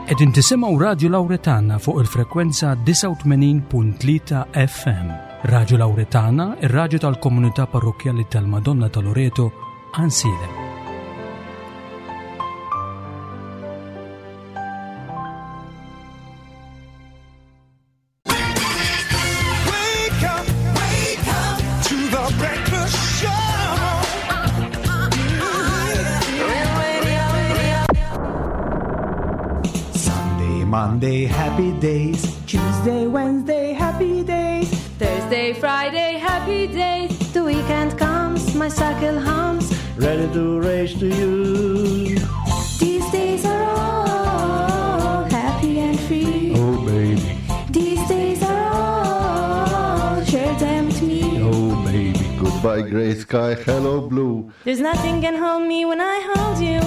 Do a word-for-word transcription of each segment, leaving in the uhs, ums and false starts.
Qegħdin tisimgħu Radju Lawretana fuq il-frekwenza disgħa u tmenin punt tlieta F M. Radju Lawretana, ir-radju tal-komunità parrokkjali tal-Madonna ta' Loreto, Għajnsielem. Monday, happy days. Tuesday, Wednesday, happy days. Thursday, Friday, happy days. The weekend comes, my cycle hums. Ready to race to you. These days are all happy and free. Oh, baby. These days are all, share them with me. Oh, baby. Goodbye, gray sky, hello, blue. There's nothing can hold me when I hold you.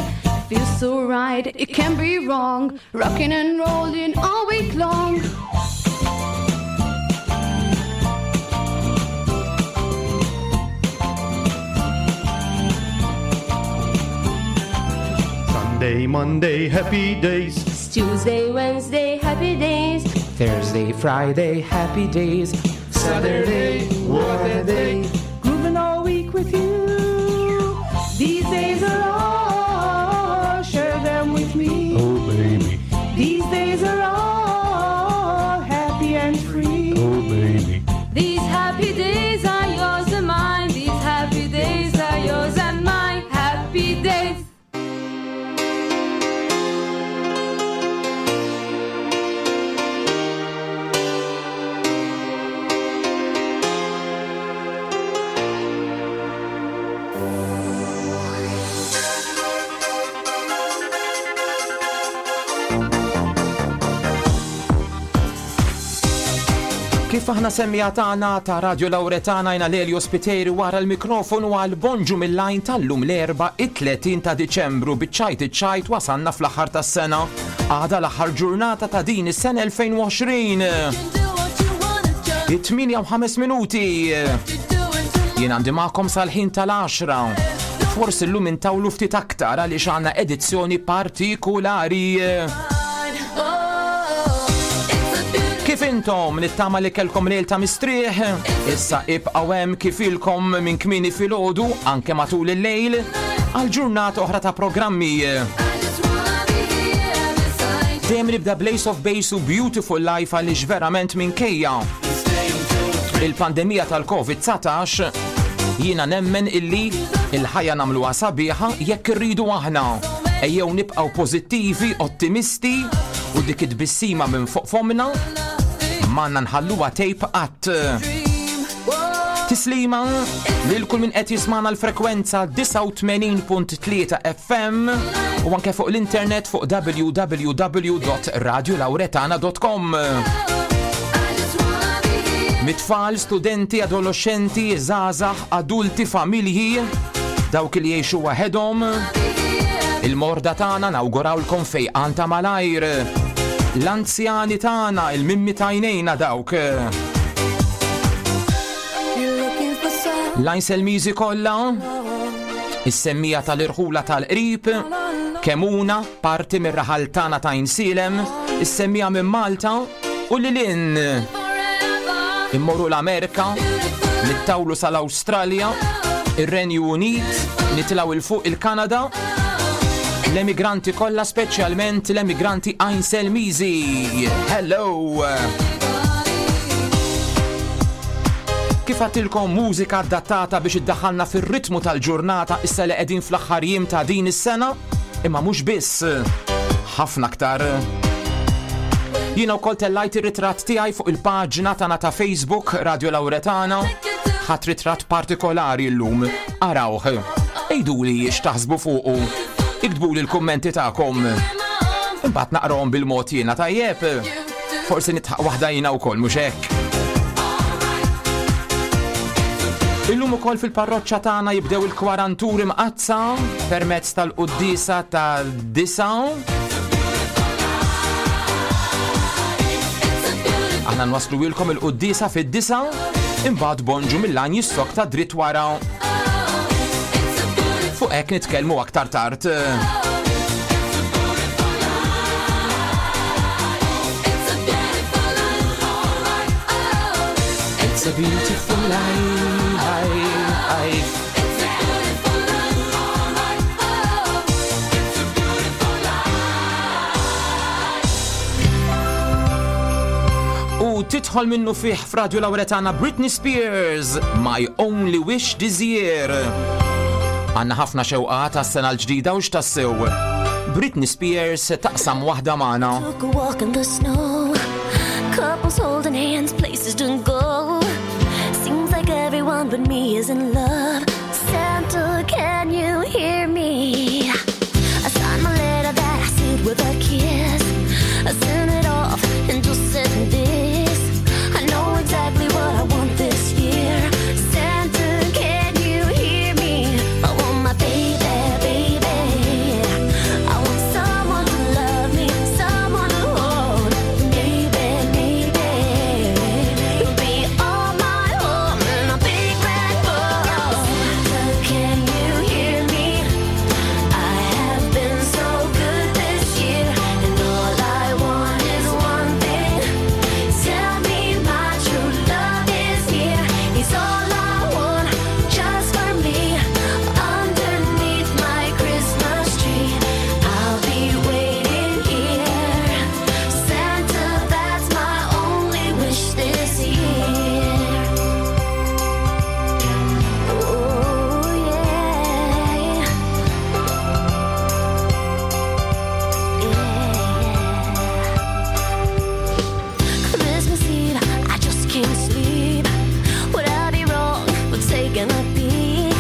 Feels so right, it can't be wrong. Rocking and rolling all week long. Sunday, Monday, happy days. It's Tuesday, Wednesday, happy days. Thursday, Friday, happy days. Saturday, what a day. Grooving all week with you. These days are all, share them with me. Oh, baby. These days are all happy and free. Oh, baby. These happy days are yours and mine. These happy days are yours and mine. Happy days. Kif aħna semmija tagħna ta' Radio Lawretana jna Lelio Spiteri wara l-mikrofonu għal bonġu mill-lajn tal-lum l-erba' it-tletin ta' Diċembru biċ-ċajt iċ-ċajt wasanna fl-aħħar tas-sena. Għada l-aħħar ġurnata ta' din is-sena elfejn u għoxrin. It-tmienja u ħames minuti. Jien għandi magħkom sal-ħin tal-għaxra. Forsi llum intawlu ftit aktar għaliex għandna edizzjoni partikolari. Kif intom nittama li kellkom lejl ta' mistrieħ? Issa ibqgħu hemm kif ilkom minn kmieni filgħodu anke matul il-lejl għal ġurnata oħra ta' programmi. Dejjem nibda Blaze of Base u Beautiful Life għaliex verament minkejja il-pandemija tal-Covid dsatax jiena nemmen illi il-ħajja nagħmluha sabiħa jekk irridu aħna. Ejjew nibqgħu pożittivi, ottimisti u dik it-tbissima minn fuq fomna manna nħalluha tejp qatt. Tislima lil kull min qed jismana l-frekwenza disgħa u tmenin punt tlieta F M u anke fuq l-internet fuq w w w dot radio lawretana dot com. Mitfall, studenti, adolescenti, żgħażagħ, adulti, familji, dawk li jgħixu waħedhom. Il-morda tagħna nawgurawlkom fejqan ta' malajr. L-anzjani tagħna, il-mimmi tajnejna dawk. L-Għajnselmiżi kollha, is-semmija tal-irħula tal-qrib, Kemuna, parti mir-raħal tagħna ta' Għajnsielem, is-semmija minn Malta u lil hinn. Immorru l-Amerika, nittawlu sal-Awstralja, ir-Renju Unit, nitilgħu il fuq il-Kanada, l-emigranti kollha, speċjalment l-emigranti Għajnselmiżi. Hello! Kif għattilkom mużika adattata biex iddaħħalna fir-ritmu tal-ġurnata issa li qegħdin fl-aħħar jiem ta' din is-sena, imma mhux biss, ħafna aktar. Jiena wkoll tellajt ir-ritratt tiegħi fuq il-paġna tagħna ta' Facebook Radio Lawretana. Ħadd ritratt partikolari llum, arawh. Għiduli x'taħsbu fuqu. Iktbuli l-kummenti tagħkom. Imbagħad naqrahom bil-mod jiena tajjeb. Forsi nitħaq waħda jiena wkoll mhux hekk. Illum ukoll fil-parroċċa tagħna jibdew il-kwaranturi mqaddsa permezz tal-quddiesa tad-disa. Aħna nwasslu ilkom il-quddiesa fid-disa, imbagħad bonġu mill-għan jissok ta' dritt wara. Fuq hekk nitkellmu aktar tard. It's a beautiful life. It's a beautiful life. Oh, it's a beautiful life. U tidħol minnu fih f'Radio Lauretana Britney Spears, My Only Wish This Year. Għanna ħafna xewqat għas-sena l-ġdida u x'tassew. Britney Spears taqsam waħda magħna. Took a walk in the snow, couples holding hands, places to go. Seems like everyone but me is in love. Santa, can you hear me? I signed my letter that I sealed with a kiss. I sent it off and just said this. I know exactly what I want this year. Santa, can you hear me? I want my baby, baby. I want someone to love me, someone to hold. Maybe, maybe you'll be all my home in a big red bow. Santa, can you hear me? I have been so good this year, and all I want is one thing. Tell me my true love is here. He's all I want, just for me. Underneath my Christmas tree, I'll be waiting here. Santa, that's my only wish this year. Oh yeah. Christmas Eve, I just can't sleep. Would I be wrong for taking a peek?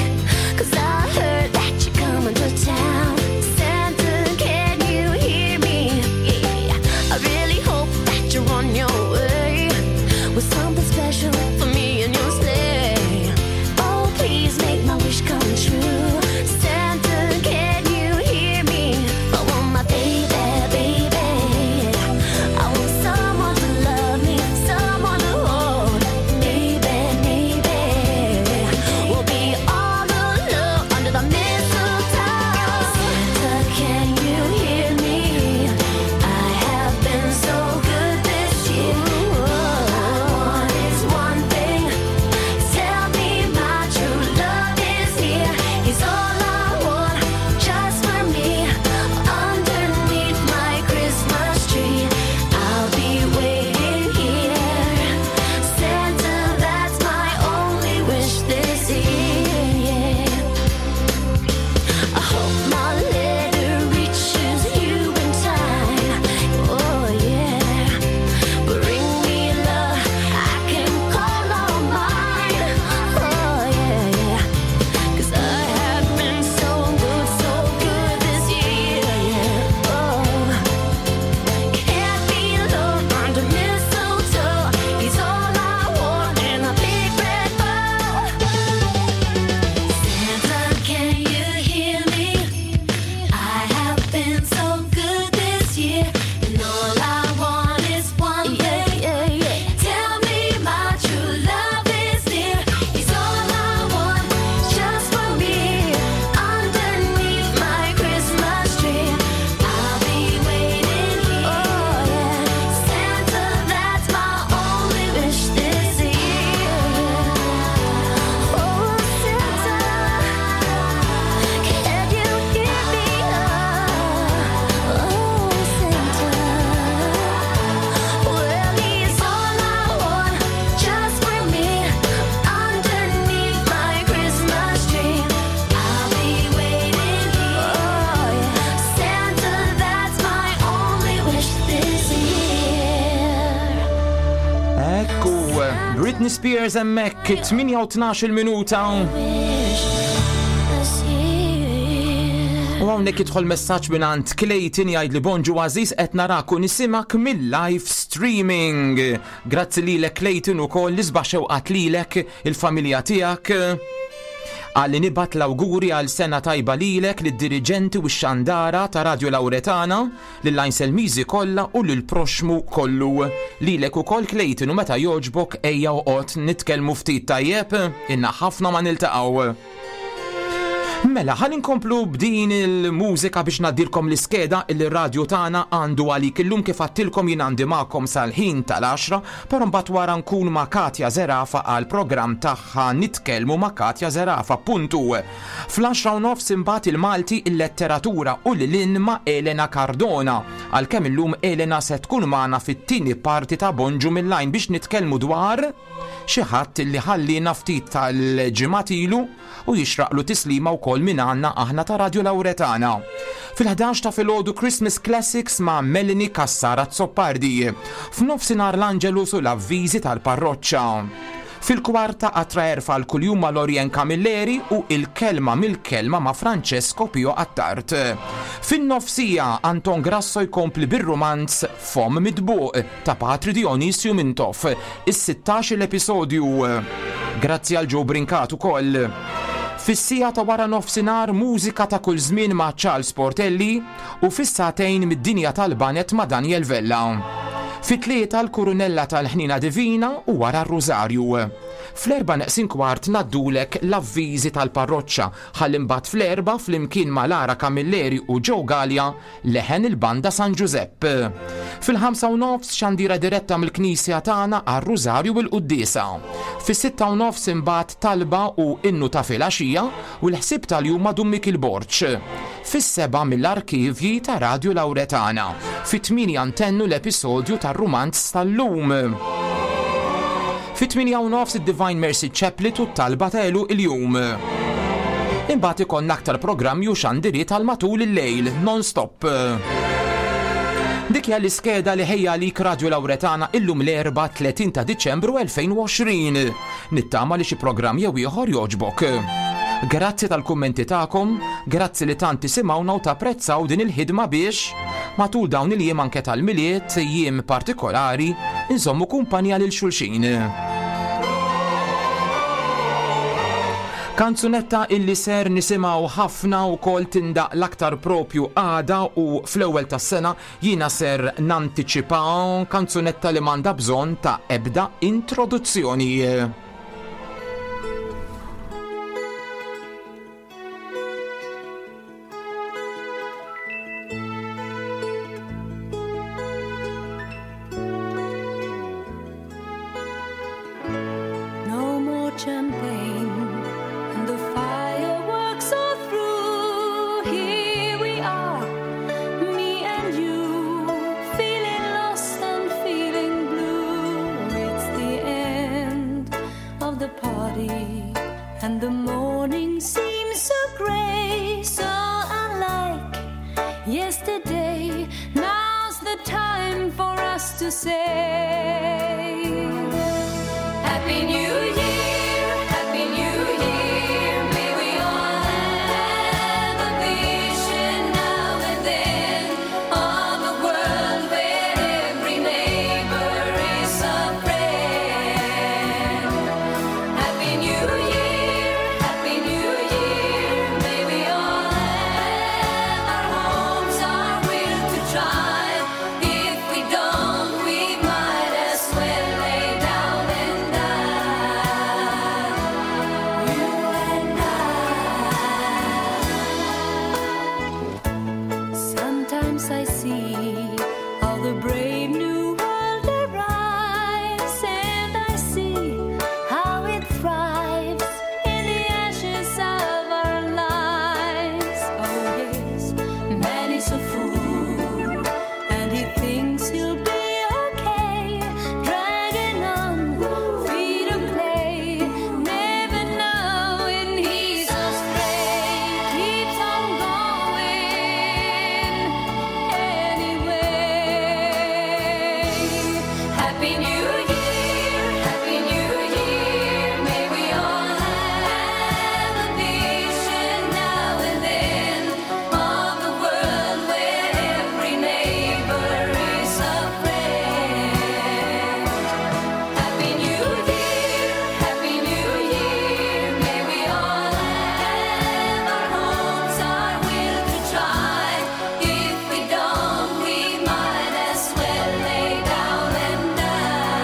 'Cause I heard that you're coming to town. Santa, can you hear me? Yeah, I really hope that you're on your way with something special for me and your sleigh. Oh, please make my wish come true. Santa, can you hear me? I want my baby, baby. I want someone to love me, someone to hold. Maybe, maybe we'll be all alone under the mistletoe. Santa, can you hear me? I have been so good this year. All I want is one thing. Tell me my true love is here. He's all I want, just for me. Underneath my Christmas tree, I'll be waiting here. Santa, that's my only wish this year. I hope my letter reaches you in time. Oh yeah. Bring me love I can call on mine. Oh yeah, yeah. 'Cause I have been so good, so good this year. Yeah. Oh, can't be alone under mistletoe. He's all I want in a big red bow. Santa, can you hear me? I have been so good this year, and all I want is one thing. Tell me my true love is near. He's all I want, just for me. Underneath my Christmas tree, I'll be waiting here. Oh yeah, Santa, that's my only wish this year. Oh Santa, can you hear me? Oh Santa, well he's all I want, just for me. Underneath my Christmas tree, I'll be waiting here. Oh yeah, Santa, that's my only wish this year. Ekku, Britney Spears hemmhekk tmienja u tnax-il minuta. Wish this year. U hawnhekk jidħol messaġġ minn għand Clayton, jgħid li bonġu għażiż, qed narak u nismgħek mill-live streaming. Grazzi lilek Clayton, ukoll l-isbaħ xewqat lilek, il-familja tiegħek. Għalli nibgħat l-awguri għal sena tajba lilek, lid-diriġenti u x-xandara ta' Radio Lauretana, lill-Għajnselmiżi kollha u lill-proxmu kollu. Lilek ukoll Clayton, u meta jogħġbok ejja oqgħod nitkellmu ftit tajjeb, ilna ħafna ma niltaqgħu. Mela, ħalli nkomplu b'din il-mużika biex ngħaddilkom l-iskeda il-radju tagħna għandu għalik illum. Kif għedtilkom, jien għandi magħkom sal-ħin tal-għaxra, però mbagħad wara nkun ma' Katja Zerafa għal programm tagħha Nitkellmu ma' Katja Zerafa. Puntu. Fl-għaxra u nofs imbagħad il-Malti, il-letteratura u l-lin ma' Elena Cardona. Għalkemm illum Elena se tkun magħna fit-tieni parti ta' Bonġu mill-lajn biex nitkellmu dwar xi ħadd li ħallina ftit tal-ġimgħat ilu u jixraqlu tislima wkoll minn għandna aħna ta' Radio Lauretana. Fil-ħdax ta' filgħodu Christmas Classics ma' Melanie Cassara Zoppardi. F'nofsinhar l-Angelus u l-avviżi tal-parroċċa. Fil-kwarta għatra erfa l-kuljum ma' Lorien Camilleri u il-kelma mill-kelma ma' Francesco Pio Attard. Fin-nofsija Anton Grasso jkompli bir-romanz Fom Midbuq ta' Patri Dionisju Mintoff, is-sittax l-episodju. Grazzi għal Joe Brincat ukoll. Fis-siegħa ta' wara nofsinhar mużika ta' kull żmien ma' Charles Portelli u fis-sagħtejn mid-dinja tal-banet ma' Daniel Vella. Fit-tlieta l-Kurunella tal-Ħnina Divina u wara r-Rużarju. Fl-erba neqsin kwart ngħaddulek l-avviżi tal-parroċċa, ħalli mbagħad fl-erbgħa flimkien ma' Lara Camilleri u Joe Gallia leħen il-Banda San Giuseppe. Fil-ħamsa u nofs xandira diretta mill-Knisja tagħna għar-Rużarju u l-Quddiesa. Fis-sitta u nofs imbagħad talba u innu ta' filgħaxija u l-ħsieb tal-jum ma' Dun Mikiel Borg. Fis-sebgħa mill-arkivji ta' Radio Lauretana. Fit-tmienja ntennu l-episodju tar-rumanz tal-lum. Fit-tmienja u nofs id-Divine Mercy Chaplet u t-talba ta' il-jum. Imbagħad ikollna aktar programmi u xandiriet għal matul il-lejl, non-stop. Dik hija l-iskeda li ħejja għalik Radio Lauretana illum l-Erbgħa tletin ta' Diċembru elfejn u għoxrin. Nittama li xi programm jew ieħor jogħġbok. Grazzi tal-kummenti tagħkom, grazzi li tant tisimgħuna u tapprezzaw din il-ħidma biex matul dawn il-jiem anke tal-Milied, jiem partikolari, inżommu kumpanija lil xulxin. Kanzunetta illi ser nisimgħu ħafna u kol tindaqq l-aktar propju għada u fl-ewwel tas-sena, jiena ser nantiċipa, kanzunetta li m'għandha bżonn ta' ebda introduzzjoni. No more champagne, and the fireworks are through. Here we are, me and you, feeling lost and feeling blue. It's the end of the party, and the morning seems so gray, so unlike yesterday. Now's the time for us to say, Happy New Year, Happy New Year. May we all have a vision now and then of a world where every neighbor is a friend. Happy New Year, Happy New Year. May we all have our homes, our will to try. If we don't, we might as well lay down and die. You and I. Sometimes I see how the brave new world arrives, and I see how it thrives in the ashes of our lives. Oh yes, man is a fool, and he thinks he'll be okay, dragging on feet of clay, never knowing he's astray. Keeps on going anyway. Happy New Year, Happy New Year. May we all have a vision now and then of a world where every neighbor is a friend. Happy New Year, Happy New Year. May we all have our homes, our will to try. If we don't, we might as well lay down and die.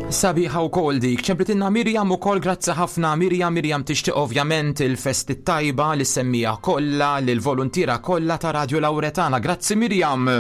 Sabiħa wkoll dik. Ċemplitinna Mirjam ukoll, grazzi ħafna Mirjam. Mirjam tixtieq ovvjament il-festi tajba li semmija kollha, lill-voluntiera kollha ta' Radio Lauretana. Grazzi Mirjam.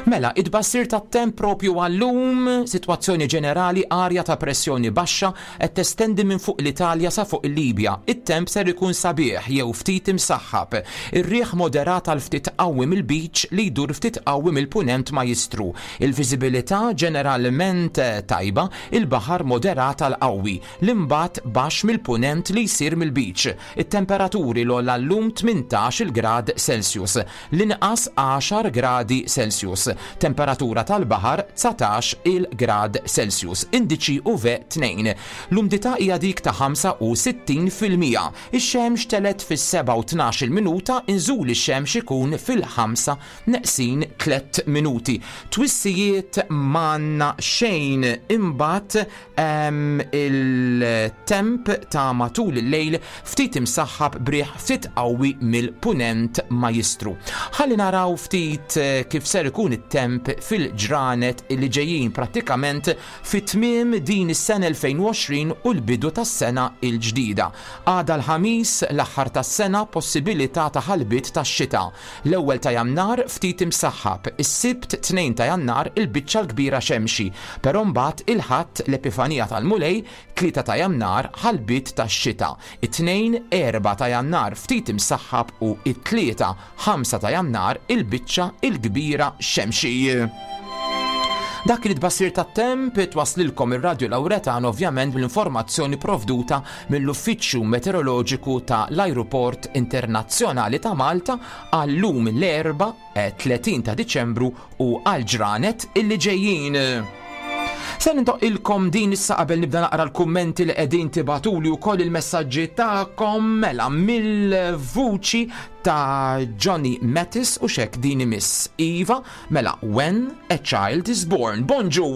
Mela, id-bassir tat-temp propju għallum, sitwazzjoni ġenerali, arja ta' pressjoni baxxa qed testendi minn fuq l-Italja sa fuq il-Libja. It-temp ser ikun sabiħ jew ftit imsaħħab. Ir-riħ moderat għal ftit qawwi mill-beach li jdur ftit qawwi mill-punent ma jistru. Il-viżibilità ġeneralment tajba, il-baħar moderat għal qawwi, l-imbat baxx mill-punent li jsir mill-beach. It-temperaturi l-ogħla llum tmintax il grad Celsius, l-inqas għaxar gradi Celsius. Temperatura tal-baħar dsatax il-grad Celsius, indiċi U V tnejn. L-umdità hija dik ta' ħamsa u sittin fil-mija. Ix-xemx telet fis-seba' u tnax il-minuta, inżul ix-xemx ikun fil-ħamsa neqsin tliet minuti. Twissijiet manna xejn, imbagħad, ehm, il-temp ta' matul il-lejl ftit imsaħħab briħ ftit qawwi mill-punent ma jistru. Ħalli naraw ftit, eh, kif ser ikun it-temp fil-ġranet li ġejjin, prattikament fit-tmiem din is-sena elfejn u għoxrin u l-bidu tas-sena l-ġdida. Għada l-ħamis, l-aħħar tas-sena, possibilità ta' ħalbiet tax-xita. L-ewwel ta' Jannar ftit imsaħħab, is-Sibt tnejn ta' Jannar il-biċċa l-kbira xemxi, però mbagħad il-Ħadd l-Epifanija tal-Mulej, tlieta ta' Jannar ħalbiet tax-xita, it-tnejn erba' ta' Jannar ftit imsaħħab u it-tlieta ħamsa ta' Jannar il-biċċa l-kbira xemxi. Dak li tbassir tat-temp twaslilkom ir-Radju Lauretan ovvjament mill-informazzjoni provduta mill-Uffiċċju Meteoroloġiku ta' l-Ajruport Internazzjonali ta' Malta għall-lum l-Erbgħa, eh, tletin ta' Diċembru u għal-ġranet illi ġejjin. Se nintoqilkom din issa qabel nibda naqra l-kummenti li qegħdin tibatuli wkoll il-messaġġi tagħkom, mela mill-vuċi ta' Johnny Mathis u xek din imiss Iva, mela When a Child is Born. Bonġu!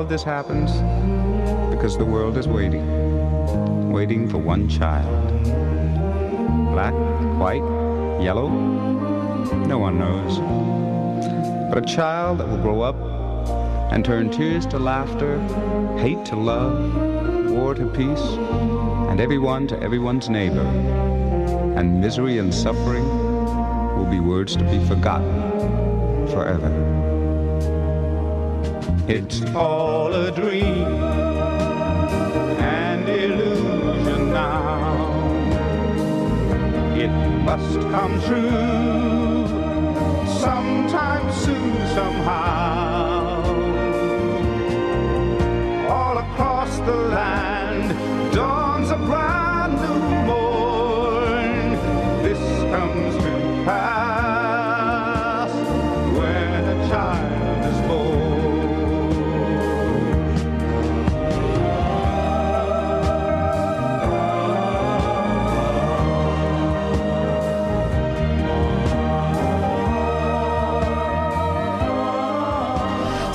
This happens because the world is waiting, waiting for one child. Black, white, yellow, no one knows. But a child that will grow up and turn tears to laughter, hate to love, war to peace, and everyone to everyone's neighbor, and misery and suffering will be words to be forgotten forever. It's all a dream and illusion now. It must come true sometime soon, somehow. All across the land dawns a brand new morn. This comes to pass when a child is born.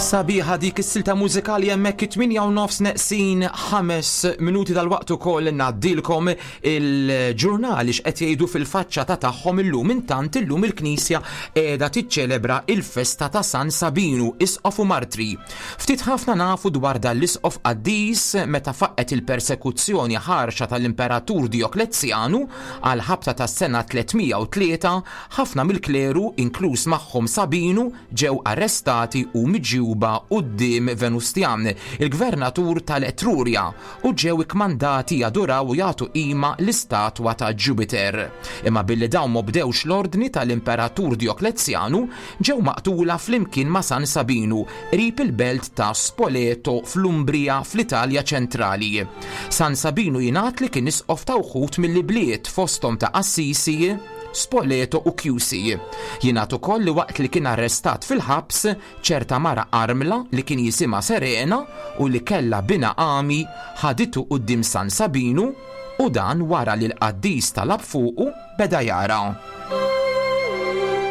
Sabiħa dik is-silta mużikali hemmhekk it-tmienja u nofs neqsin ħames minuti dal-waqt ukoll ngħaddilkom il-ġurnali x'qed jgħidu fil-faċċata tagħhom illum. Intant illum il-Knisja qiegħda tiċċelebra il-festa ta' San Sabinu, isqof u martri. Ftit ħafna nafu dwar dan l-isqof qaddis meta faqqet il-persekuzzjoni ħarxa tal-Imperatur Dioklezjanu għal ħabta tas-sena tliet mija u tlieta, ħafna mill-kleru, inkluż magħhom Sabinu, ġew arrestati u miġjuba quddiem Venustjan, il-gvernatur tal-Etruria, u ġew ikkmandati jaduraw u jagħtu qima l-istatwa ta' Jupiter. Imma billi dawn m'obdewx l-ordni tal-Imperatur Dioklezjanu, ġew maqtula flimkien ma' San Sabinu qrib il-belt ta' Spoleto fl-Umbria fl-Italja ċentrali. San Sabinu jingħad li kien isqof ta' wħud mill-bliet, fosthom ta' Assisi, Spoleto u Chiusi. Jingħad ukoll li waqt li kien arrestat fil-ħabs, ċerta mara armla li kien jisimha Serena u li kella bina għami ħaditu quddiem San Sabinu, u dan wara li l-qaddis talab fuqu beda jara.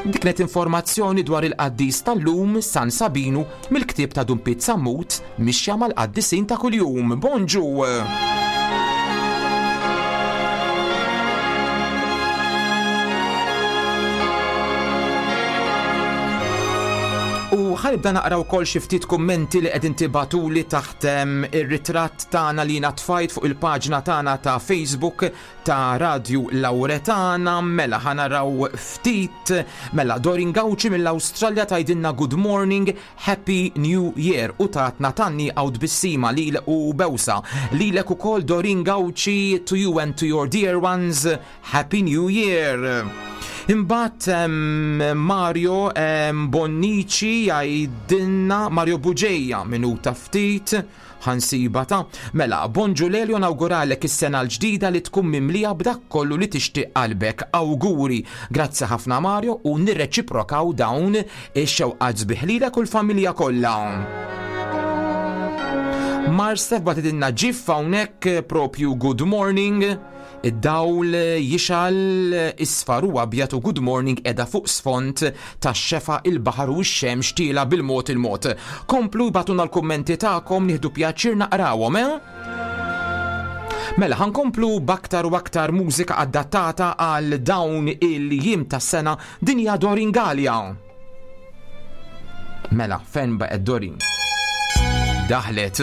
Dik kienet informazzjoni dwar il-qaddis tal-lum, San Sabinu, mill-ktieb ta' Dun Pete Sammut, Mixja mal-Qaddisin ta' Kuljum. Bonġu! U ħa nibda naqra wkoll xi ftit kummenti li qegħdin tibagħtuli taħt em, ir-ritratt tagħna li jiena tfajt fuq il-paġna tagħna ta' Facebook ta' Radio Lauretana. Mela ħa naraw ftit. Mela Dorin Gauci mill-Awstralja tgħidilna good morning, Happy New Year, u tatna tanni għaw tbissima lil u bewsa. Lilek ukoll, Dorin Gauci, to you and to your dear ones, Happy New Year. Imbagħad em, Mario em, Bonnici jgħidilna, Mario Buġeja, minuta ftit ħa nsiba ta' mela, bonġu Lelio, nawguralek is-sena l-ġdida li tkun mimlija b'dak kollu li tixtieq qalbek. Awguri. Grazzi ħafna, Mario, u nirreċiprokaw dawn ix-xewqat sbieħ lilek u l-familja kollha. Marsef bagħtitilna gif hawnhekk propju good morning, id-dawl jixgħel isfar u abjad u good morning qiegħda fuq sfond tax-xefaq, il-baħar u x-xemx tielgħa bil-mod il-mod. Komplu ibagħtulna l-kummenti tagħkom, nieħdu pjaċir naqrawhom, eh? Mela, ħa nkomplu b'aktar u aktar mużika adattata għal dawn il-jiem tas-sena. Din hija Doreen Galea. Mela, fejn baqgħet Doreen? Daħlet.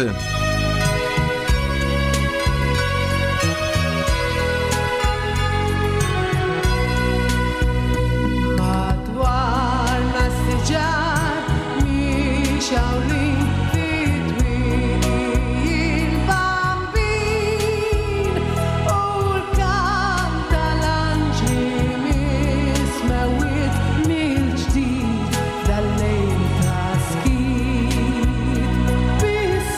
Madwarna s-siġar mixgħulin fit-twieqi il-Bambin u l-kant tal-anġli mis-smewwiet mill-ġdid dal-lejl ta' skiet. Bis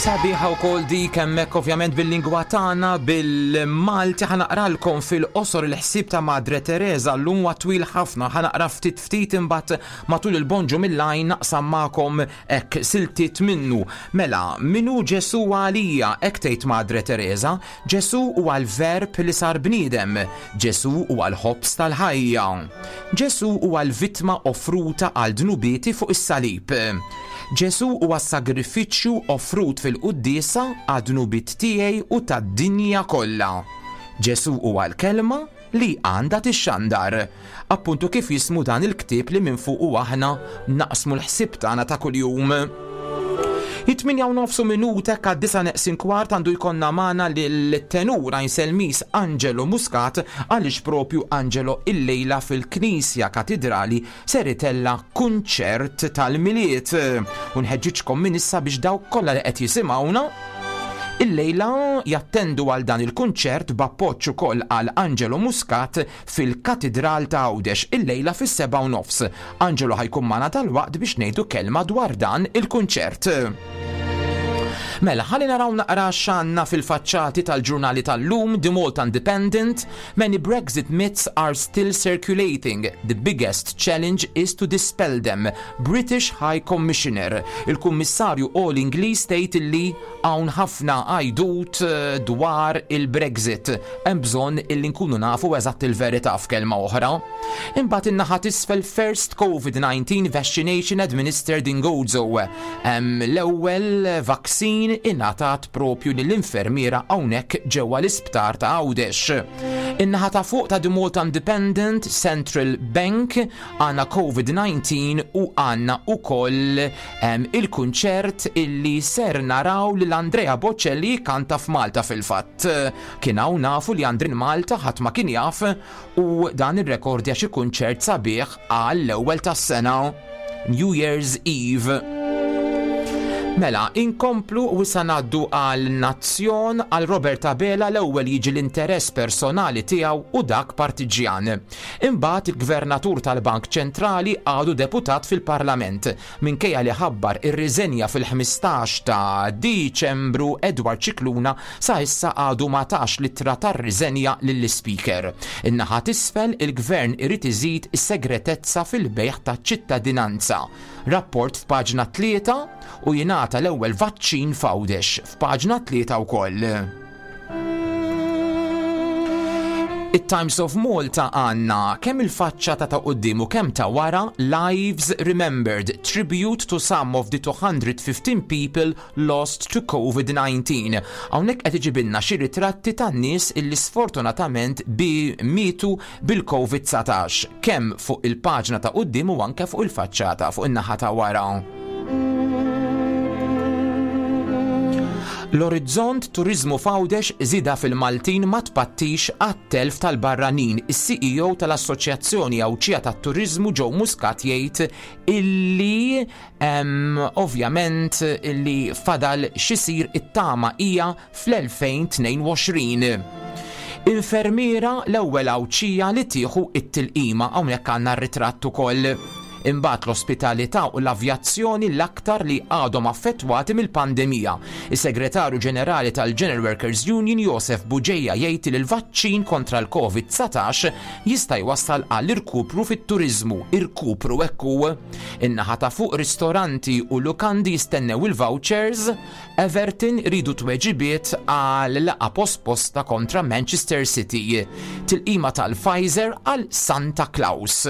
Sabiħa wkoll dik hemmhekk, ovvjament bil-lingwa tagħna, bil-Malti. Ħa naqralkom fil-qosor il-ħsieb ta' Madre Teresa llum. Huwa twil ħafna, ħa naqra ftit ftit, imbagħad matul il-Bonġu mill-Għajn naqsam magħkom hekk siltiet minnu. Mela, min hu Ġesu għalija? Hekk tgħid Madre Teresa: Ġesu huwa l-verb li sar bniedem, Ġesu huwa l-ħobż tal-ħajja. Ġesu huwa l-vittma offruta għal dnubieti fuq is-salib. Ġesu huwa sagrifiċċju offrut fil-quddiesa għad-dnubiet tiegħi u tad-dinja kollha. Ġesu huwa l-kelma li għandha tixxandar. Appuntu kif jismu dan il-ktieb li minn fuq u aħna naqsmu l-ħsieb tagħna ta' kuljum. It-tmienja u nofs u minuta għad-disgħa neqsin kwart għandu jkollna magħna l-tenur Selmis Angelo Muscat, għaliex propju Angelo illejla fil-Knisja Katidrali ser itella kunċert tal-Milied. U nħeġġiġkom minn issa biex dawk kollha li qed jisimgħuna illejla jattendu għal dan il-kunċert b'appoġġ ukoll għal Angelo Muscat fil-Katidral ta' Għawdex illejla fis-seba' u nofs. Angelo ħa jkun magħna dalwaqt biex ngħidu kelma dwar dan il-kunċert. Mela, ħalli naraw naqra x'għandna fil-faċċati tal-ġurnali tal-lum. The Malta Independent: "Many Brexit myths are still circulating. The biggest challenge is to dispel them. British High Commissioner." Il-Kummissarju Għoli Ingliż tgħid illi hawn ħafna għajdut eh, dwar il-Brexit. Hemm bżonn illi nkunu nafu eżatt il-verità, f'kelma oħra. Imbagħad in-naħa t'isfel, "First COVID nineteen vaccination administered in Gozo." Hemm l-ewwel vaccine ingħatat propju lill-infermiera hawnhekk ġewwa l-isptar ta' Għawdex. In-naħa ta' fuq ta' The Malta Independent, Central Bank, għandna COVID nineteen u għandna ukoll em, il-kunċert illi ser naraw lil Andrea Bocelli kanta f'Malta fil-fatt. Kien hawn nafu li Andrin Malta, ħadd ma kien jaf, u dan ir-rekordja xi kunċert sabiħ għall-ewwel tas-sena, New Year's Eve. Mela, inkomplu u issa ngħaddu għal Nazzjon. Għal Robert Abela l-ewwel jiġi l-interess personali tiegħu u dak partiġjan. Imbagħad il-Gvernatur tal-Bank Ċentrali għadu deputat fil-Parlament. Minkejja li ħabbar ir-riżenja fil-ħmistax ta' Diċembru, Edward Scicluna sa issa għadu ma tax l-ittra tar-riżenja lill-Speaker. In-naħa t'isfel, il-Gvern irid iżid is-segretezza fil-bejgħ ta' ċittadinanza. Rapport f'paġna tlieta, u jingħata l-ewwel vaċċin f'Għawdex f'paġna tlieta wkoll. It-Times of Malta għandna kemm il-faċċata ta' quddiem u kemm ta' wara: "Lives Remembered, Tribute to some of the two hundred fifteen people lost to COVID nineteen" Hawnhekk qed iġibilna xi ritratti tan-nies illi sfortunatament bi mietu bil-COVID nineteen, kemm fuq il-paġna ta' quddiem u anke fuq il-faċċata fuq in-naħa ta' wara. L-Orizzont: Turizmu f'Għawdex, żieda fil-Maltin ma tpattix għat-telf tal-barranin. Is-C E O tal-Assoċjazzjoni Għawdxija tat-Turizmu Joe Muscat jgħid illi em, ovvjament illi fadal x'isir, it-tama hija fl-elfejn u tnejn u għoxrin. Infermiera l-ewwel Għawdxija li tieħu it-tilqima, hawnhekk għandna r-ritratt ukoll. Imbagħad l-ospitalità u l-avjazzjoni l-aktar li għadhom affettwati mill-pandemija. Is-Segretarju Ġenerali tal-General Workers Union Josef Bugeja jgħid li l-vaċċin kontra l-COVID nineteen jista' jwassal għall irkupru fit-turizmu, irkupru ekku. In-naħa ta' fuq, ristoranti u lukandi jistennew il-vouchers, Everton ridu tweġibiet għal laqgħa posposta kontra Manchester City. Tilqima tal-Pfizer għal Santa Claus.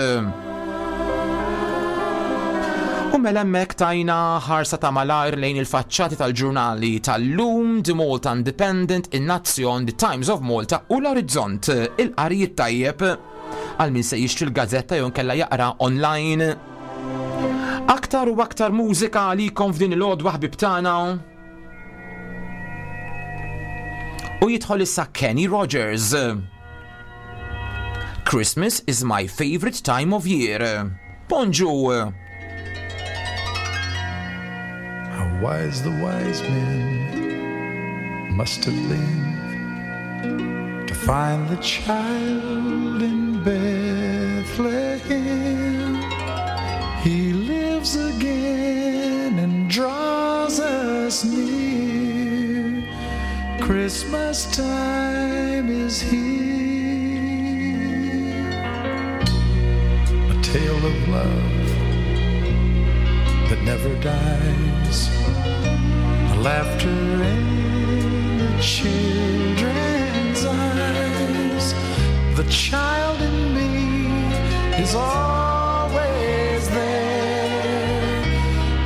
U mela hemmhekk tajna ħarsa ta' malajr lejn il-faċċati tal-ġurnali tal-lum, The Malta Independent, il-Nazzjon, The Times of Malta u l-Orizzont. Il-qari tajjeb għal min se jixtri l-gazzetta jew kella jaqra online. Aktar u aktar mużika għalikom f'din il-għodwa, ħbib tagħna. U jidħol issa Kenny Rogers. "Christmas is my favorite time of year." Bonġu! How wise the wise men must have been to find the child in Bethlehem. He lives again and draws us near. Christmas time is here. A tale of love that never dies. The laughter in the children's eyes. The child in me is always there.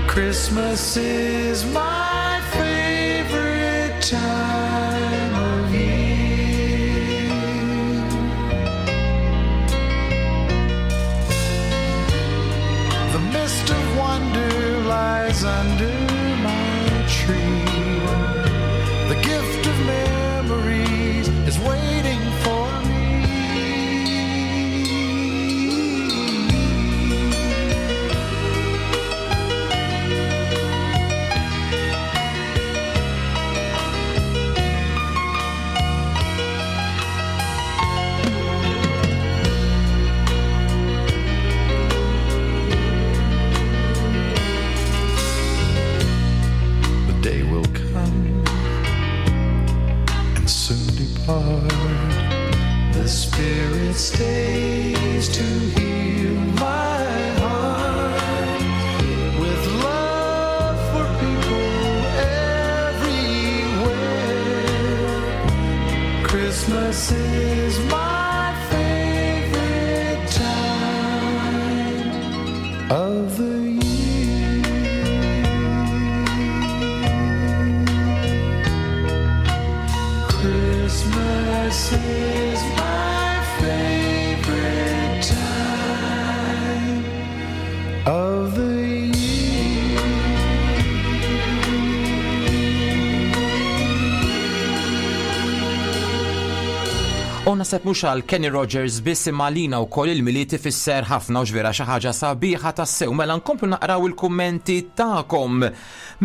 Christmas is my favorite time of year. The mist of wonder lies under my tree. The gift of memories is waiting for me. The day will come and soon depart. The spirit stays to heal my heart with love for people everywhere. Christmas is my favorite time of the year. Christmas is my favorite time of the year. U naħseb mhux għal Kenny Rogers biss imma lina wkoll il-Milied ifisser ħafna u vera xi ħaġa sabiħa tassew. Mela nkomplu naqraw il-kummenti tagħkom.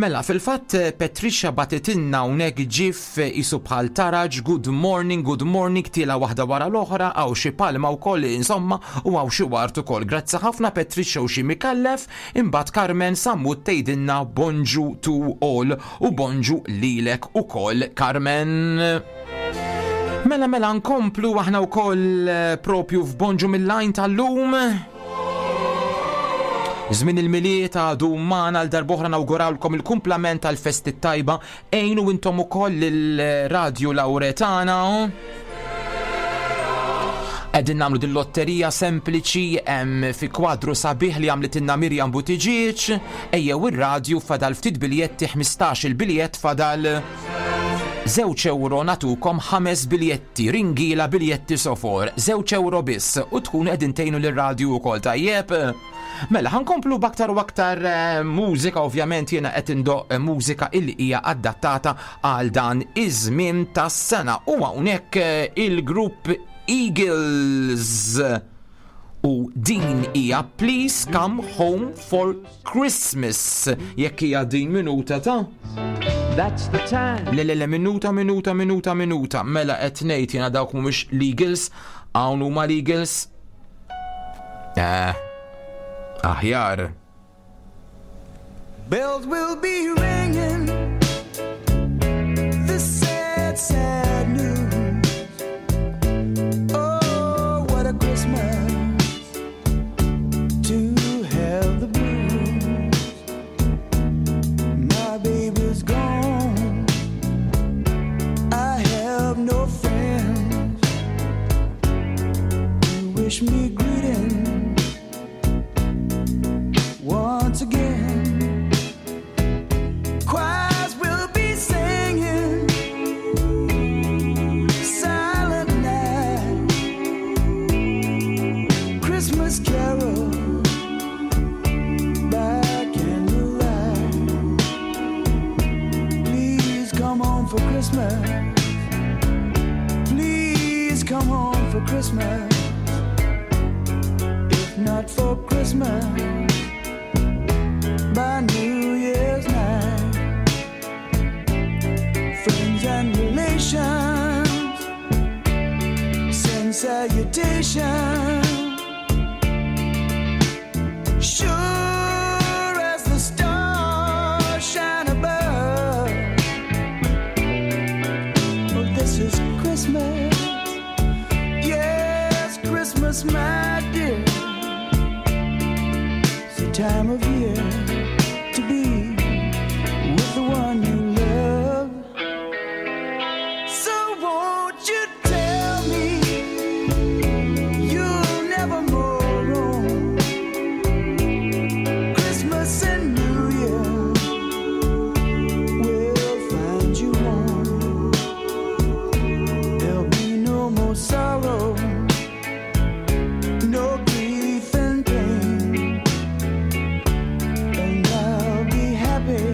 Mela fil-fatt Patricia bagħtitilna hawnhekk ġif isu bħal taraġ, good morning, good morning, tila waħda wara l-oħra, hawn xi palma wkoll insomma u hawn xi ward ukoll. Grazzi ħafna Patricia u xi Mikallef, imbagħad Carmen Sammut tgħidilna bonġu to all u bonġu lilek ukoll Carmen. Mela mela nkomplu aħna wkoll eh, propju f'Bonġu mill-Għajn tal-lum. Żmien il-Milied għadu magħna għal darb'oħra nawgurawlkom il-kumplament tal-festi tajba għinu intom ukoll il-Radio Lauretana. Qegħdin nagħmlu din lotterija sempliċi hemm fi kwadru sabiħ li għamlitilna Mirjam Buttigieg, ejjew ir-radju fadal ftit biljetti ħmistax il-biljett fadal żewġ euro nagħtukom ħames biljetti, ringila biljetti sofor, żewġ euro biss u tkun qegħdin tgħinu lir-radju wkoll tajjeb. Mela, ħa nkomplu b'aktar u aktar eh, mużika, ovvjament jiena qed indoqq mużika illi hija adattata għal dan iż-żmien tas-sena. U hawnhekk eh, il-grupp Eagles u din hija Please Come Home for Christmas. Jekk hija din minuta ta' That's the time. Le, le, le, minuta, minuta, minuta, minuta. Mela qed ngħid jiena dawk mhumiex l-Eagles, hawn huma l-Eagles. Eh, aħjar. Bells will be ringing. This sad, sad news. Oh, what a Christmas to have the blues. My baby's gone. I have no friends to wish me greetings once again. Choirs will be singing, silent night, Christmas carol by candlelight. Please come home for Christmas. Please come home for Christmas. If not for Christmas, by New Year's night. Friends and relations send salutation. Sure as the stars shine above, Christmas, my dear, it's the time of year to be with the one you love. So won't you tell me you'll never more roam? Christmas and New Year will find you home. There'll be no more sorrow, no grief and pain, and I'll be happy,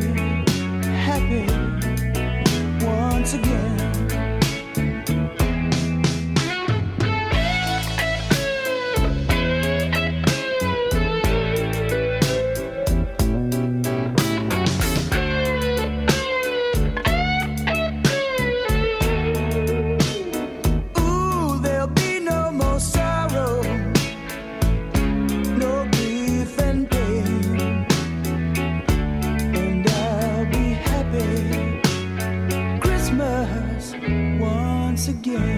happy once again. Ooh, there'll be no more sorrow, no grief and pain, and I'll be happy Christmas once again.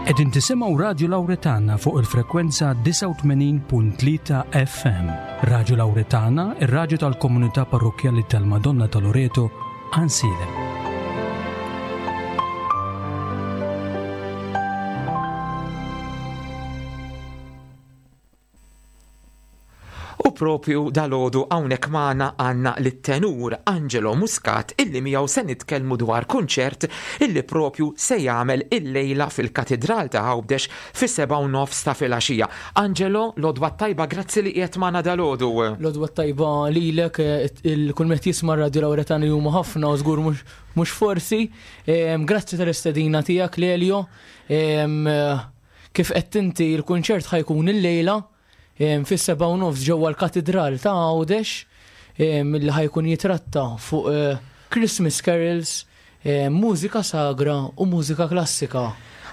Qegħdin tisimgħu Radju Lawretana fuq il-frekwenza disgħa u tmenin punt tlieta F M. Radju Lawretana, ir-radju tal-komunità parrokkjali tal-Madonna ta' Loreto, Għajnsielem. U propju dalgħodu hawnhekk magħna għandna lit-tenur Angelo Muscat, illi miegħu se nitkellmu dwar kunċert illi propju se jagħmel illejla fil-Katidral ta' Għawdex fis-sebgħa u nofs ta' filgħaxija. Angelo, l-għodwa tajba, grazzi li qiegħed magħna dalgħodu. L-għodwa tajba lilek, il kull min jisma' Radio Lawretana huma ħafna u żgur mhux mhux forsi. Em, Grazzi tal-istedina tiegħek, Lelio. Em, Kif qed inti, il-kunċert ħa jkun illejla em, fis-sebgħa u nofs ġewwa l-Katidral ta' Għawdex em, li ħa jkun jitratta fuq eh, Christmas carols, em, mużika sagra u mużika klassika.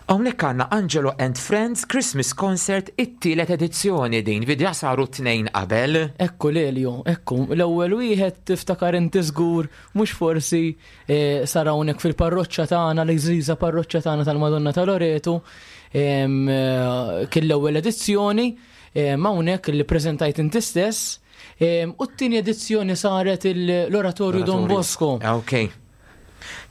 Hawnhekk għandna Angelo and Friends Christmas Concert, it-tielet edizzjoni din, diġà saru tnejn qabel. Ekku Lelio, ekku, l-ewwel wieħed tiftakar inti żgur, mhux forsi, eh, sar hawnhekk fil-parroċċa tagħna, l-għażiża parroċċa tagħna tal-Madonna ta' Loreto, em, eh, kien l-ewwel edizzjoni, em, hawnhekk li preżentajt inti stess, em, u t-tieni edizzjoni saret il- l-Oratorju Don Bosco. Ah, ok.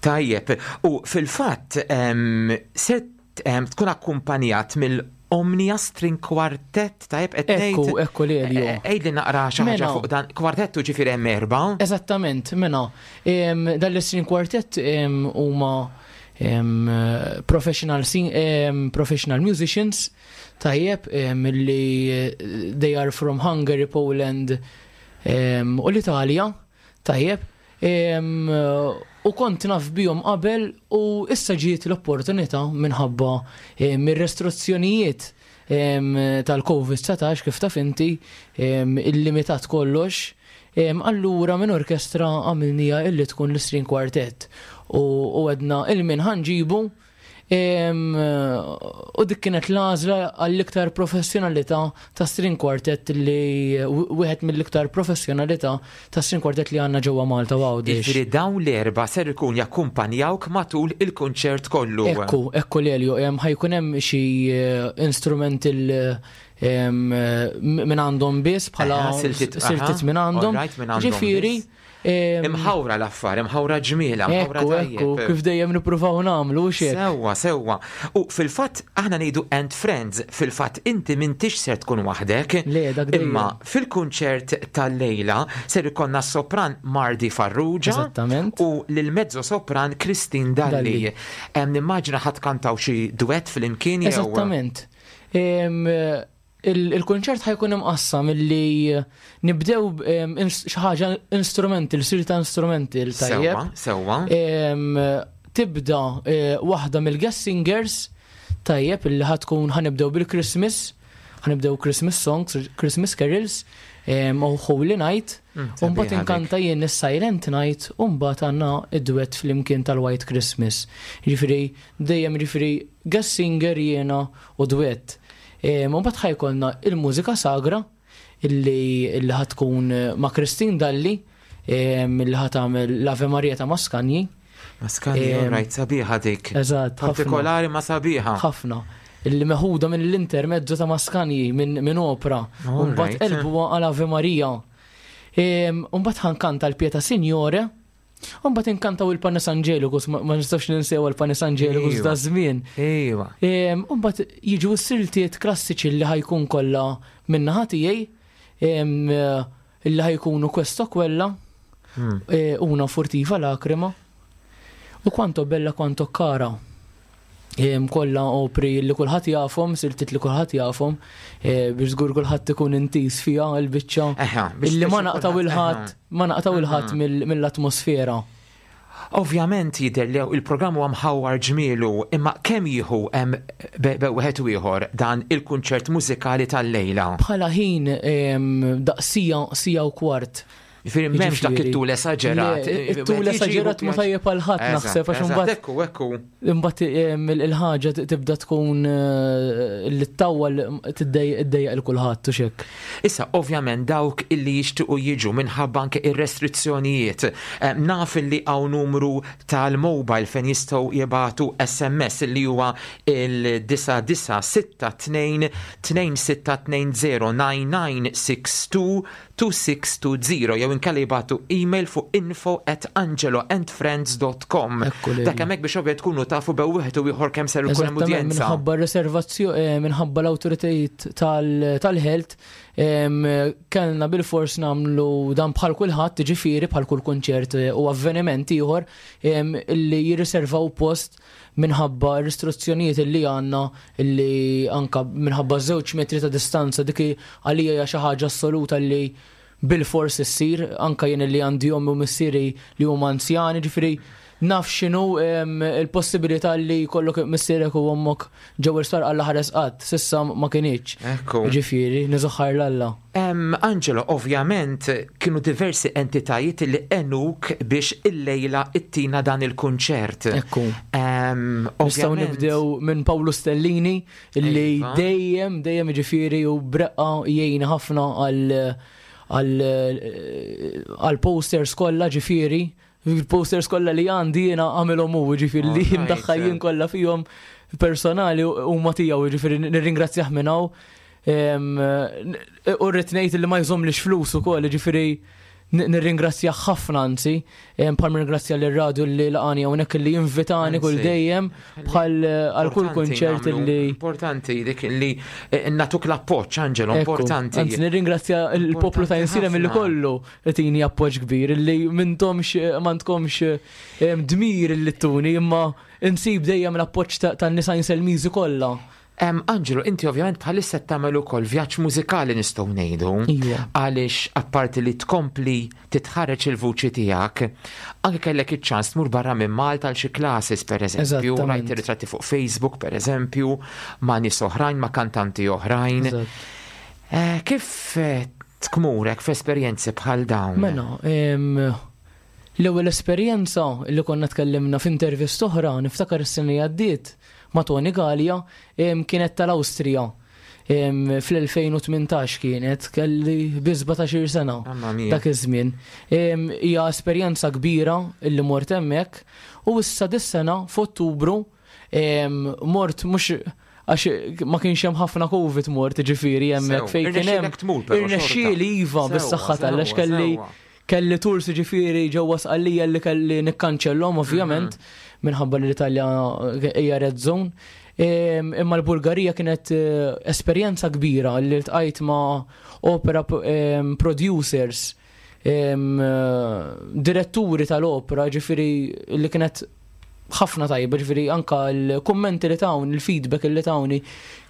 Tajjeb, u fil-fatt em, se em, tkun akkumpanjat mill-Omnia String Quartet, tajjeb qed Ekku, ngħid? ekku Lelio. Eh, Għidli naqra xi ħaġa Mela. fuq dan kwartettu, ġifieri hemm erba'. Eżattament, mela, em, dan l-string quartet em, huma em, professional, sing, em, professional musicians, tajjeb, em, li eh, they are from Hungary, Poland em, u l-Italja, tajjeb, em, u kont naf bihom qabel u issa ġiet l-opportunità minħabba em, mir-restrizzjonijiet em, tal-Covid dsatax, kif taf inti, em, illimitat kollox. Em, Allura minn orkestra għamilnieha illi tkun l-string quartet u u għedna 'il min ħa nġibu em, u dik kienet l-għażla għall-iktar professjonalità ta' string quartet, li wieħed mill-iktar professjonalità ta' string quartet li għandna ġewwa Malta u Għawdex. Ġifieri dawn l-erba' ser ikun jakkumpanjawk matul il-kunċert kollu. Ekku, ekku Lelio, em, ħa jkun hemm xi eh, instrumental em, minn għandhom biss bħala Aha, siltiet, aha, siltiet minn għandhom. Alright, minn għandhom Ġifieri, biss. em, Imħawra l-affar, imħawra ġmiela, imħawra Ekku, ekku, tajjeb. kif dejjem nippruvaw nagħmlu xek. Sewwa, sewwa. U fil-fatt aħna ngħidu and friends, fil-fatt inti m'intix ser tkun waħdek. Le, dak dejjem. Imma fil-kunċert tal-lejla ser ikollna sopran Mardi Farrugia. Eżattament. U lil-mezzo sopran Christine Dalli. Dalli. Em, Nimmaġina ħa tkantaw xi duett flimkien jew. Eżattament. Em, il- Il-konċert ħa jkun imqassam illi nibdew em, ins- xi ħaġa instrumental, silta instrumental, tajjeb. Sewwa, sewwa. Em, Tibda eh, waħda mill-guest singers, tajjeb, illi ħa tkun ħa nibdew bil-Christmas, ħa nibdew Christmas songs, Christmas carols, em, u Holy Night, Mm, u mbagħad sabiħa inkanta jien is-Silent Night, u mbagħad għandna id-duett flimkien tal-White Christmas. Ġifieri dejjem ġifieri guest singer, jiena u duett. Em, U mbagħad ħa jkollna il-mużika sagra illi illi ħa tkun eh, ma' Christine Dalli. Li ħa tagħmel l-Ave Maria ta' Mascagni. Mascagni, right, sabiħa dik. Eżatt. Partikolari ma sabiħa. Ħafna. Illi meħuda minn l-intermezzo ta' Mascagni minn opera. U mbagħad qelbuha għal Ave Maria. U mbagħad ħa nkanta l-Pietà Signore. U mbagħad inkantaw il-Panis Angelicus, ma nistax ninsew il-Panis Angelicus da żmien. Ejwa. U mbagħad jiġu s-siltiet klassiċi li ħa jkun kollha min-naħa tiegħi, li ħa jkunu Questo Quella, Una Furtiva Lacrima, u Quanto Bella Quanto Cara. Kollha opri li kulħadd jafhom, siltiet li kulħadd jafhom, biex żgur kulħadd ikun intis fiha l-biċċa. Illi ma naqtaw il-ħadd, ma naqtaw il-ħadd mill-atmosfera. Ovvjament jidher li il-programm huwa mħawwar ġmielu, imma kemm jieħu hemm wieħed u ieħor dan il-kunċert mużikali tal-lejla? Bħala ħin daqsija sija u kwart. Jiġifieri m'hemmx dak it-tul esaġerat. It-tul esaġerat ma tajjeb għal ħadd naħseb għax imbagħad. Ekku, ekku. Imbagħad il-ħaġa tibda tkun li ttawwal tiddejjaq il kulħadd u xek. Issa ovvjament dawk illi jixtiequ jiġu minħabba anke ir-restrizzjonijiet. Naf illi hawn numru tal-mobile fejn jistgħu jibagħtu S M S li huwa il-disa disa sitta tnejn tnejn sitta tnejn zero nine nine six two two six two zero jew inkella jibagħtu email fuq info at angelo and friends dot com. Dak hemmhekk biex ovvja tkunu tafu bew wieħed u ieħor kemm ser ikun hemm udjenza. Minħabba r-reservazzjoni, minħabba l-awtoritajiet tal-health, kellna bil-fors nagħmlu dan bħal kulħadd, ġifieri bħal kull kunċert u avveniment ieħor illi jirriservaw post minħabba restrizzjonijiet illi għandna, illi anka minħabba żewġ metri ta' distanza, dik għalija hija xi ħaġa assoluta li bil-fors issir, anka jien li għandi ommi u missieri li huma anzjani, ġifieri naf x'inhu il-possibilità li jkollok missierek u ommok ġew il-sar għal ħares qatt, s'issa ma kinitx. Ekku. Ġifieri, niżoħħar l-Alla. Angelo, ovvjament kienu diversi entitajiet li għenuk biex illejla ittina dan il-kunċert. Ekku. Nistgħu nibdew minn Paolo Stellini illi dejjem, dejjem ġifieri u breqqa jgħin ħafna għal għal posters kollha, ġifieri il-posters kollha li għandi jiena għamilhom hu, ġifieri li mdaħħal jien kollha fihom personali huma tiegħu, ġifieri nirringrazzjah minn hawn. U rrid ngħid li ma jżommlix flus ukoll, ġifieri nirringrazzjah ħafna, anzi, bħal nirringrazzja lir-radju li laqani hawnhekk li jinvitani kull dejjem bħal għal kull kunċert li importanti dik li natuk l-appoġġ, Angelo, importanti. Anzi, nirringrazzja l-poplu ta' Insilem li kollu tini appoġġ kbir, li m'intomx m'għandkomx dmir li tuni, imma insib dejjem l-appoġġ tan-nisa Inselmiżi kollha. Angelo, inti ovvjament bħalissa tagħmel ukoll vjaġġ mużikali nistgħu ngħidu, għaliex apparti li tkompli titħareġ il-vuċi tiegħek, anke kellek iċ-ċans tmur barra minn Malta għal xi classes pereżempju, rajt ritratti fuq Facebook pereżempju, ma' nies oħrajn, ma' kantanti oħrajn. Kif tkmurek f'esperjenzi bħal dawn? Mela, l-ewwel esperjenza li konna tkellimna f'intervista oħra, niftakar is-sena li għaddiet ma' Tony Gallia, kienet tal-Awstrija. fl-elfejn u tmintax kienet, kelli bi sbatax-il sena dak iż-żmien. Hija esperjenza kbira illi mort hemmhekk, u issa dis-sena f'Ottubru mort mhux għax ma kienx hemm ħafna Covid mort, ġifieri hemmhekk fejn kien hemm. Irnexxieli iva bis-saħħa tal għax kelli kelli tours ġifieri ġewwa Sqallija li kelli nikkanċellhom ovvjament minħabba li l-Italja hija red zone. Imma l-Bulgarija kienet esperjenza kbira li ltqajt ma' opera producers, diretturi tal-opera, ġifieri li kienet ħafna tajba, ġifieri anka l-kummenti li tawni, il-feedback li tawni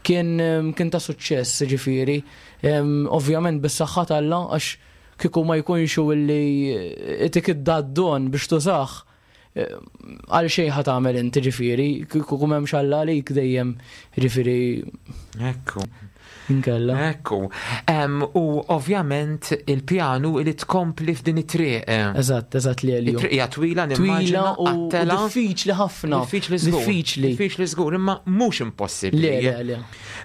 kien kien ta' suċċess, ġifieri. Ovvjament bis-saħħa t'Alla, għax kieku ma jkunx li itik id-daddon biex tużah għal xejn ħa tagħmel inti, ġifieri, kieku m'hemmx Alla għalik dejjem, ġifieri. Ekku. Inkella. Ekku. U ovvjament il-pjanu li tkompli f'din it-triq. Eżatt, eżatt li għalju. It-triq hija twila, nimmaġina, twila u diffiċli ħafna. Diffiċli żgur. Diffiċli. Diffiċli żgur, imma mhux impossibbli. Le, le, le.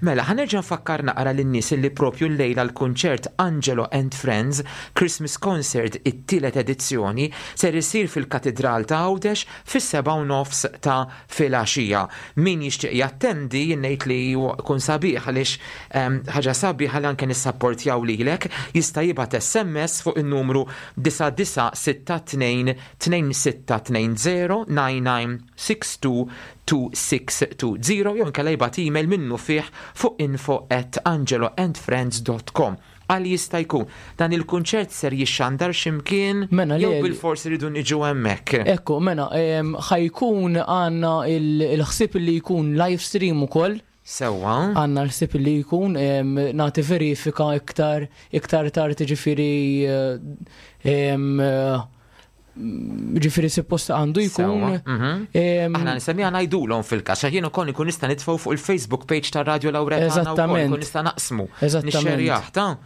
Mela, ħa nerġa' nfakkar naqra lin-nies li propju llejla l-kunċert Angelo and Friends Christmas Concert, it-tielet edizzjoni, ser isir fil-Katidral ta' Għawdex fis-seba' u nofs ta' filgħaxija. Min jixtieq jattendi, ngħid li jkun sabiħ għaliex ehm, ħaġa sabiħa li anke nissapportjaw lilek, jista' jibgħat S M S fuq in-numru disa' disa' sitta tnejn tnejn sitta tnejn żero nine nine six two two six two zero jew inkella jibgħat email minnufih fuq info at angeloandfriends dot com. Għal jista' jkun dan il-kunċert ser jixxandar x'imkien Mela, jew le- bil-forsi ridu niġu hemmhekk? Ekku, mela, em, ħa jkun għandna il- il-ħsib li jkun live stream ukoll. Sewwa. Għandna l-ħsib li jkun, em, nagħti verifika iktar iktar tard, ġifieri em, eh, ġifieri suppost għandu jkun. Sewwa, mhm. em, Aħna nisemmija ngħidulhom fil-każ, għax jien ukoll ikun nista' nitfgħu fuq il-Facebook page ta' Radio Lauretana wkoll, Eżattament. ikun nista' naqsmu. Eżattament. Nixxerjah ta'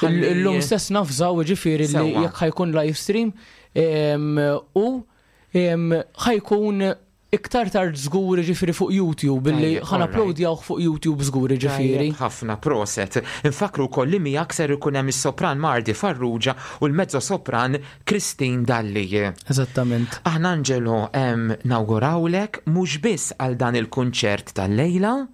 Il- Ħalli- Illum stess nafżaw ġifieri li Sewwa. jekk ħa jkun live stream em, u em, ħa jkun iktar tard żgur ġifieri fuq YouTube billi Tajjeb, ħa nuploadjaw fuq YouTube żgur ġifieri. Tajjeb ħafna, proset. Infakru wkoll li miegħek ser ikun hemm is-sopran Mardi Farrugia u l-mezzo sopran Christine Dalli. Eżattament. Aħna, Angelo, em, nawgurawlek mhux biss għal dan il-kunċert tal-lejla,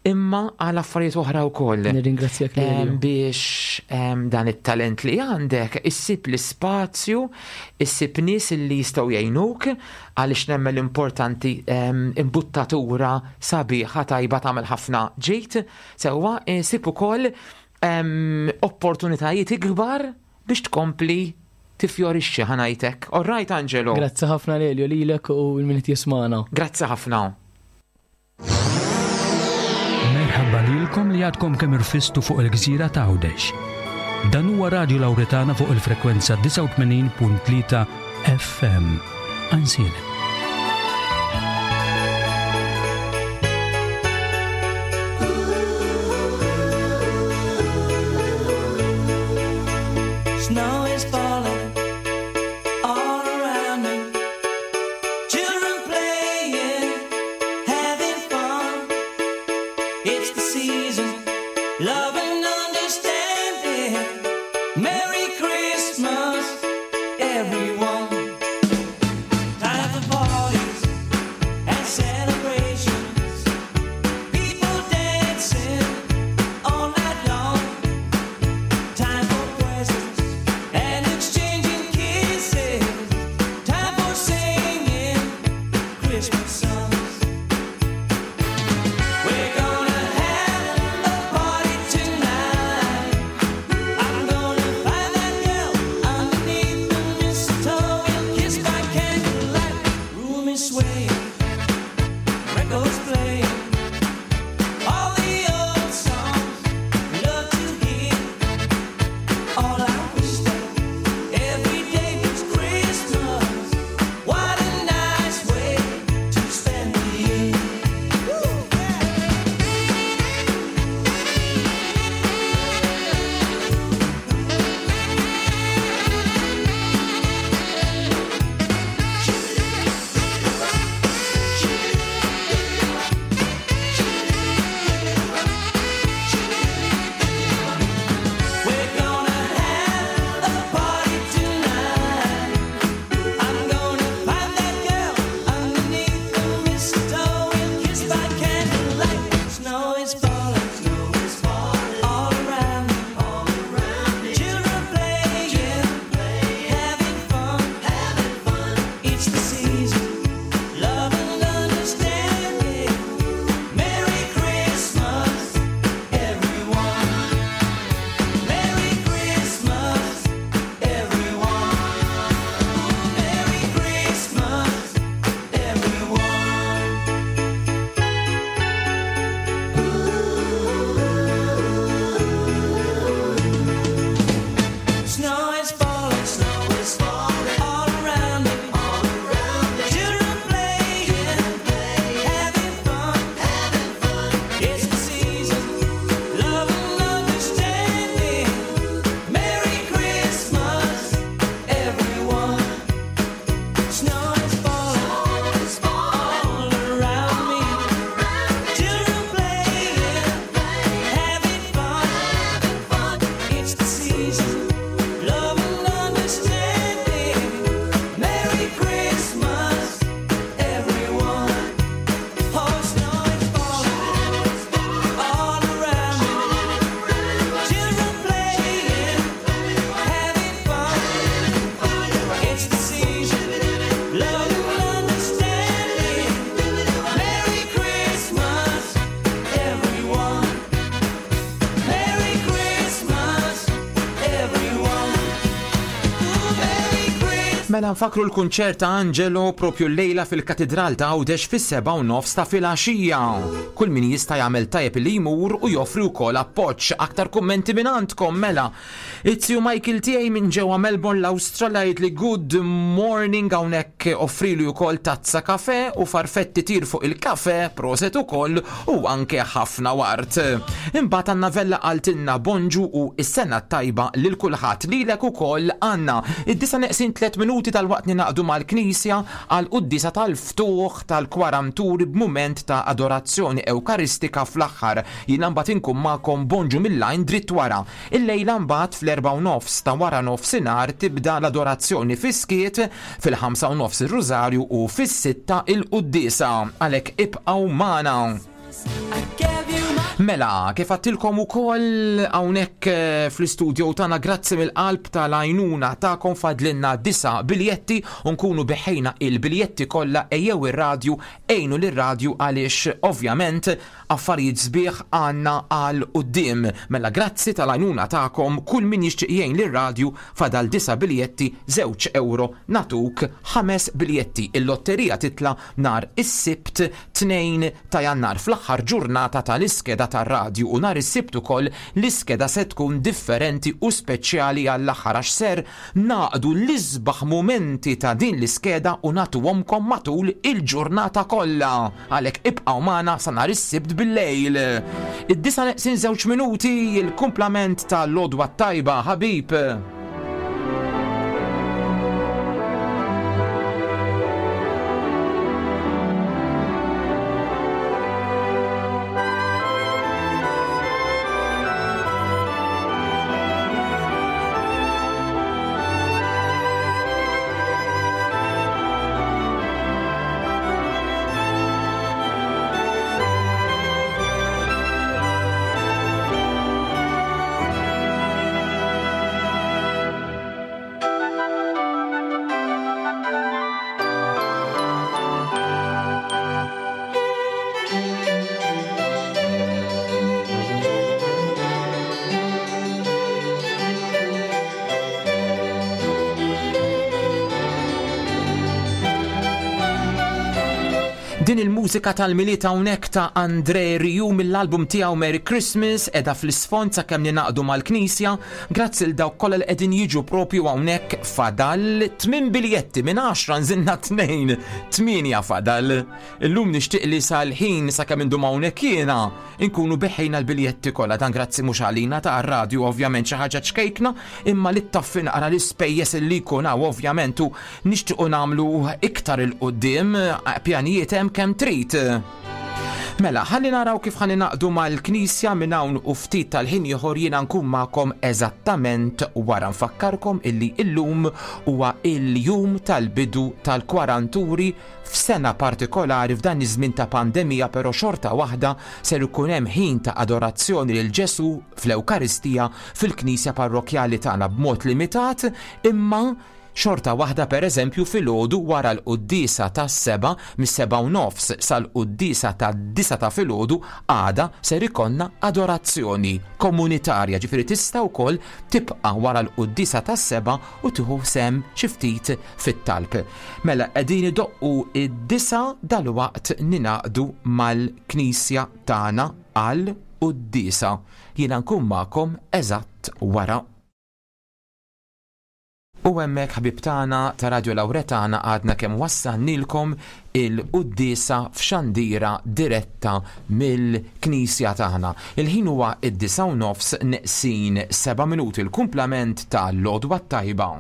imma għal affarijiet oħra wkoll. Nirringrazzjak Em, lilek. Biex em, dan it-talent li għandek issib l-ispazju, issib nies li jistgħu jgħinuk, għaliex nemmen l-importanti em, imbuttatura sabiħa tajba tagħmel ħafna ġejt, sewwa issib ukoll em, opportunitajiet ikbar biex tkompli tifjorixxi, ħa ngħidlek. All right, Angelo. Grazzi ħafna Lelio, lilek u l-min jismana. Grazzi ħafna. Merħaba lilkom li għadkom kemm irfistu fuq il-gżira ta' Għawdex. Dan huwa Radio Lauretana fuq il-frekwenza disgħa u tmenin punt tlieta F M. Għajnsielem. Snow is falling all around me. Children playing, having fun. It's the season, love and understanding. Merry Christmas, everyone. Time for parties and celebrations. People dancing all night long. Time for presents and exchanging kisses. Time for singing Christmas songs. We're gonna have a party tonight. I'm gonna find that girl underneath the mistletoe. We'll kiss by candlelight. Room is swaying, records playing, all the old songs we love to hear. All I wish that every day was Christmas. What a nice way to spend the year. Woo, yeah. We're gonna have a party tonight. I'm gonna find that girl underneath the mistletoe. We'll kiss by candlelight. Snow is falling, snow is falling all around me, all around me. Children playing, having fun, having fun. It's the season, love and understanding. Merry Christmas, everyone. Merry Christmas, everyone. Merry Christmas, everyone. Snow is falling, snow is falling all around me, all around Mela nfakru l-kunċert ta' Angelo propju llejla fil-Katidral ta' Għawdex fis-sebgħa u nofs ta' filgħaxija. Kull min jista' jagħmel tajjeb li jmur u joffri wkoll appoġġ. Aktar kummenti minn għandkom mela. It-tiju Michael tiegħi minn ġewwa Melbourne l-Awstralja jgħid li good morning, hawnhekk offrilu wkoll tazza kafe u farfetti tir fuq il-kafe, proset ukoll u anke ħafna wart. Imbagħad Anna Vella qaltilna bonġu u s-sena tajba lil kulħadd, lilek ukoll Anna. Id-disa neqsin tliet minuti tal-waqt ninaqdu mal-Knisja għal quddiesa tal-ftuħ tal-kwaranturi b'mument ta' adorazzjoni ewkaristika fl-aħħar. Jiena mbagħad inkun magħkom bonġu mill-lajn dritt wara. Illejla mbagħad fl-erbgħa u nofs ta' wara nofsinhar tibda l-adorazzjoni fis-skiet, fil-ħamsa u nofs ir-Rużarju u fis-sitta il-quddiesa. Għalhekk ibqgħu magħna. Mela, kif għattilkom ukoll hawnhekk, eh, fl-istudio tagħna, grazzi mill-qalb tal-għajnuna tagħkom, fadlinna disa' biljetti u nkunu biħejna il-biljetti kollha. Ejjew ir-radju, ejnu lir-radju għaliex ovvjament affarijiet sbieħ għandna għal quddiem. Mela grazzi tal-għajnuna tagħkom, kull min jixtieq jgħin lir-radju, fadal disa' biljetti, żewġ euro natuk ħames biljetti. Il-lotterija titla' nhar is-Sibt tnejn ta' Jannar fl-aħħar ġurnata tal-iskeda tar-radju, u nhar is-Sibt ukoll l-iskeda se tkun differenti u speċjali għall-aħħar għax ser naqdu l-isbaħ mumenti ta' din l-iskeda u nagħtuhomkom matul il-ġurnata kollha. Għalhekk ibqgħu magħna sa nhar is-Sibt bil-lejl. Id-disa neqsin żewġ minuti, il-kumplament tal-lodwa tajba, ħabib. Din il-mużika tal-Milied hawnhekk ta' André Rieu mill-album tiegħu Merry Christmas qiegħda fl-isfond sakemm ninaqdu mal-Knisja. Grazzi l dawk kollha li qegħdin jiġu propju hawnhekk. Fadal tmien biljetti minn għaxra, nżinna tnejn, tmienja fadal. Illum nixtieq li sal-ħin sakemm indum hawnhekk jiena inkunu beħejna l-biljetti kollha. Dan grazzi mhux għalina ta' radju ovvjament xi ħaġa ċkejkna, imma li ttaffi naqra l-ispejjeż li jkun hawn ovvjament, u nixtiequ nagħmlu iktar il-quddiem, pjanijiet hemm kemm trid. Mela, ħalli naraw kif ħalli naqdu mal-Knisja minn hawn u ftit tal-ħin ieħor. Jiena nkun magħkom eżattament wara. Nfakkarkom illi illum huwa il-jum tal-bidu tal-kwaranturi f'sena partikolari f'dan iż-żmien ta' pandemija, però xorta waħda ser ikun hemm ħin ta' adorazzjoni lil Ġesu fl-Ewkaristija fil-Knisja parrokjali tagħna b'mod limitat, imma xorta waħda per eżempju filgħodu wara l-quddiesa tas-seba', mis-seba' u nofs sal-quddiesa tad-disa' ta' filgħodu għada ser ikollna adorazzjoni komunitarja, ġifieri tista' wkoll tibqa' wara l-quddiesa tas-seba' u tieħu sem xi ftit fit-talb. Mela qegħdin idoqqu id-disa' dalwaqt ninaqdu mal-Knisja tagħna għal quddiesa. Jiena nkun magħkom eżatt wara. U hemmhekk ħbib tagħna ta' Radio Lauretana għadna kemm wassannilkom il-quddiesa f'xandira diretta mill-Knisja tagħna. Il-ħin huwa id-disa' u nofs neqsin seba' minuti, l-kumplament ta' l-Għodwa Tajba.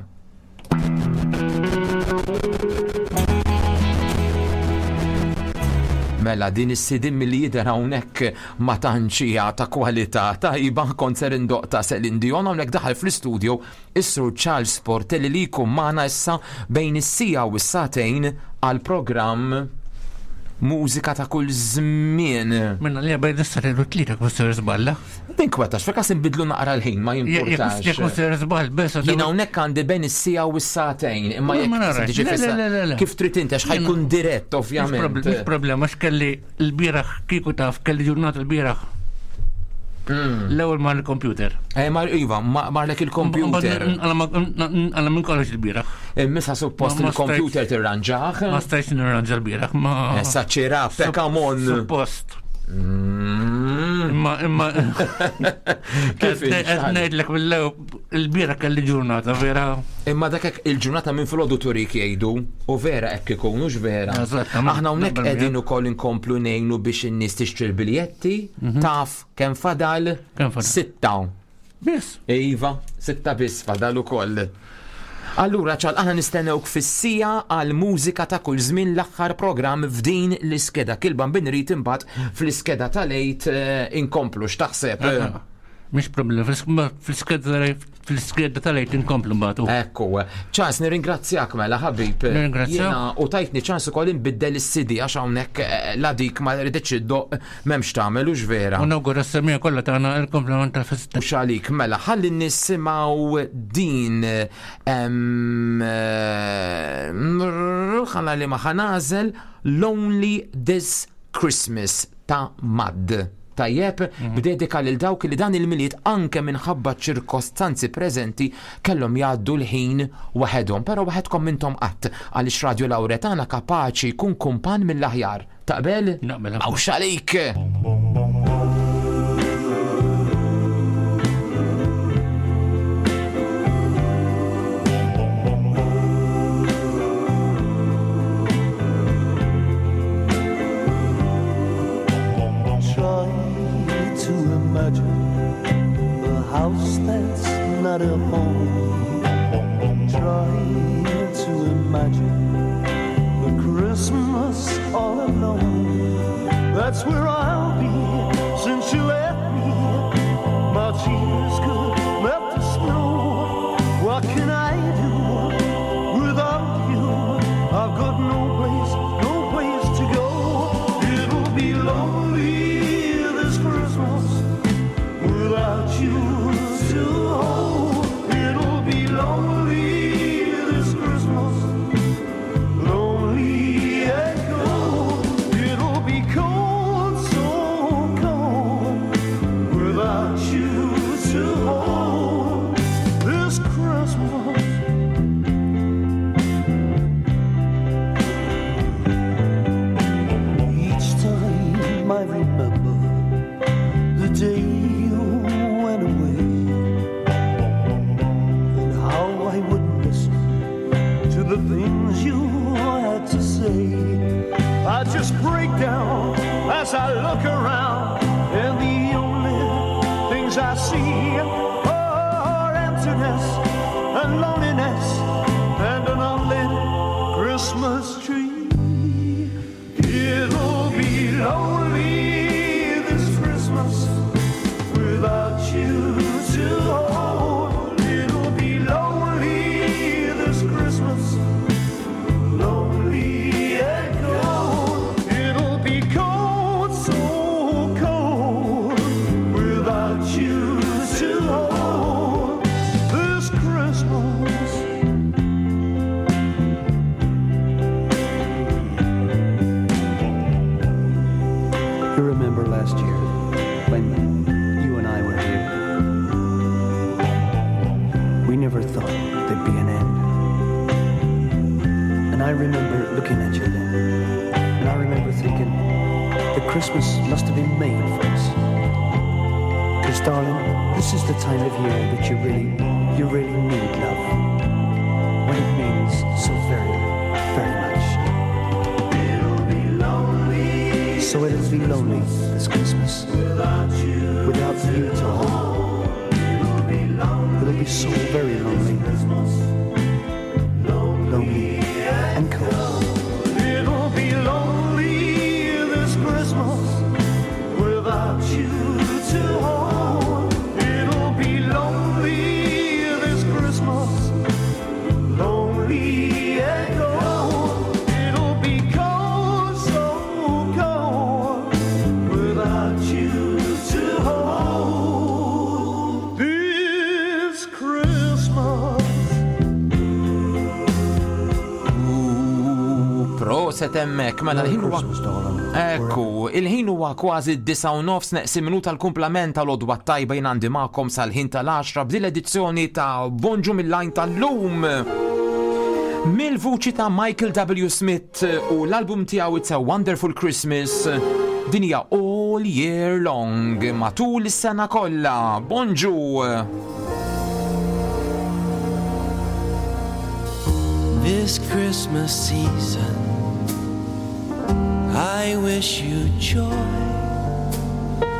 Mela din is-sidin milli jidher hawnhekk ma tantx hija ta' kwalità tajba, kont ser indoq ta' Celine Dion. Hawnhekk daħal fl-istudio is-Sur Charles Portelli li jkun magħna issa bejn is-sija u s-sagħtejn għal programm Mużika ta' kull żmien. Minna li bejn is-sagħtejn u tlieta kun ser żballa. Tinkwetax, fil-każ inbidlu naqra l-ħin, ma jimpurtax. Jekk kun ser żball, bes Jien hawnhekk għandi bejn is-sija u s-sagħtejn, imma Ma jekk narax. tiġi Le, fissa- le, le, le. Kif trid inti, għax ħajkun dirett, ovvjament. Mhux problema, għax kelli l-bieraħ, kieku taf, kelli ġurnata l-bieraħ. L-ewwel mar il-computer. Eh, mar iva, ma- marlek il-computer. Għala minn kollox il-bieraħ. Misa suppost Ma- ma il-computer stajtx- tirranġaħ. Ma stajtx nirranġa l-bieraħ, ma. Issa ċira, pekamon. Suppost. Imma, imma. Kif Qed ngħidlek mill-ewwel il-bieraħ kelli ġurnata vera. Imma dak hekk il-ġurnata minn filgħodu turik jgħidu u vera hekk ikun hux vera. Eżattament. Aħna hawnhekk Naqbel qegħdin miegħek. ukoll inkomplu ngħinu biex in-nies tixtri l-biljetti, taf kemm fadal? Kemm fadal? Sitta. Biss. Iva, sitta biss fadal ukoll. Allura ċal aħna nistennewk fis-sija għal mużika ta' kull żmien l-aħħar programm f'din l-iskeda. Kilba binrit imbagħad fl-iskeda tal-għid eh, inkomplu x'taħseb. Mhix problema, fl-iskeda fl-iskeda tal-għid inkomplu mbagħad. Ekku, ċans nirringrazzjak mela ħabib. Nirringrazzjak. Jiena u tajtni ċans ukoll inbiddel is-C D għax hawnhekk eh, la dik ma rridx iddoq m'hemmx tagħmel hux vera. U nawgura s-semija kollha tagħna il-komplement tal-festa. U xalik, mela, ħalli nisimgħu din em, eh, ħana li ma ħanażel Lonely This Christmas ta' Mad. Tajjeb, b'dedika lil dawk li dan il-Milied anke minħabba ċirkostanzi preżenti kellhom jgħaddu l-ħin waħedhom, però waħedkom mintom qatt għaliex Radio Lauretana kapaċi jkun kumpan mill-aħjar. Taqbel? Naqbel. Għaw xalik! Try to imagine a house that's not a home. Try to imagine a Christmas all alone. That's where I'll be since you left me. My tears could melt the snow. What can I do without you? I've got no place, no place to go. It'll be lonely this Christmas without you to hold. It'll be lonely this Christmas, lonely and cold. It'll be cold, so cold without you to hold this Christmas. Each time I remember the day you went away and how I would listen to the things you had to say. I just break down as I look around, and the only things I see are emptiness and loneliness and an unlit Christmas tree. It'll be lonely this Christmas without you to hold. It'll be lonely this Christmas, lonely and cold. It'll be cold, so cold without you to hold this Christmas. You remember last year when you and I were here? We never thought there'd be an end. And I remember looking at you then, and I remember thinking that Christmas must have been made for us. Because, darling, this is the time of year that you really, you really need love. When it means so very, very much. So it'll be lonely this Christmas without you to hold. It'll be so very lonely, lonely and cold. It'll be lonely this Christmas without you to hold. It'll be lonely this Christmas, lonely and cold. It'll be cold, so cold without you to hold this Christmas. Proset hemmhekk, mela Merry l-ħin huwa Christmas, darling. Ekku, il-ħin huwa kważi d-disgħa u nofs neqsin minuta l-kumplament tal-għodwa t-tajba jien għandi magħkom sal-ħin tal-għaxra b'din l-edizzjoni ta' Bonġu mill-Għajn tal-lum. Mill-vuċi ta' Michael W. Smith u l-album tiegħu It's a Wonderful Christmas, din hija All Year Long, matul is-sena kollha. Bonġu! This Christmas season, I wish you joy,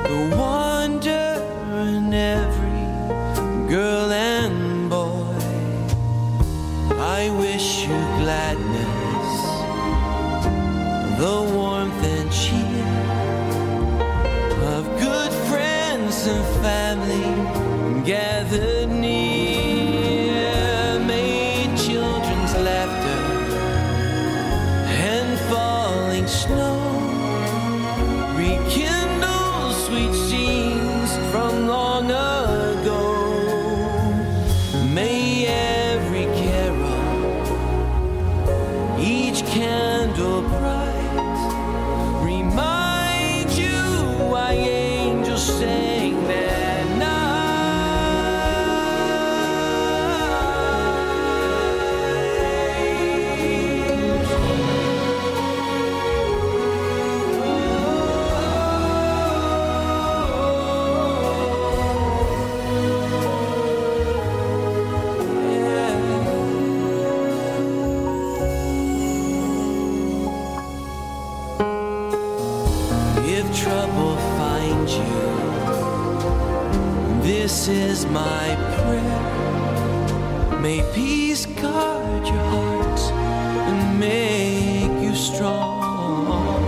the wonder in every girl and boy. I wish you gladness, the warmth and cheer of good friends and family gathered near. May children's laughter and falling snow rekindle sweet scenes from long ago. May every carol, each candle bright, remind you why angels sang that night. If trouble finds you, this is my prayer. May peace guard your heart and make you strong.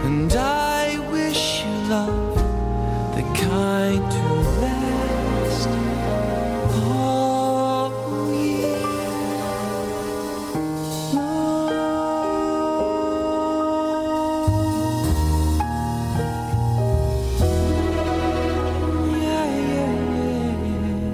And I wish you love, the kind to last all year long. Yeah, yeah, yeah.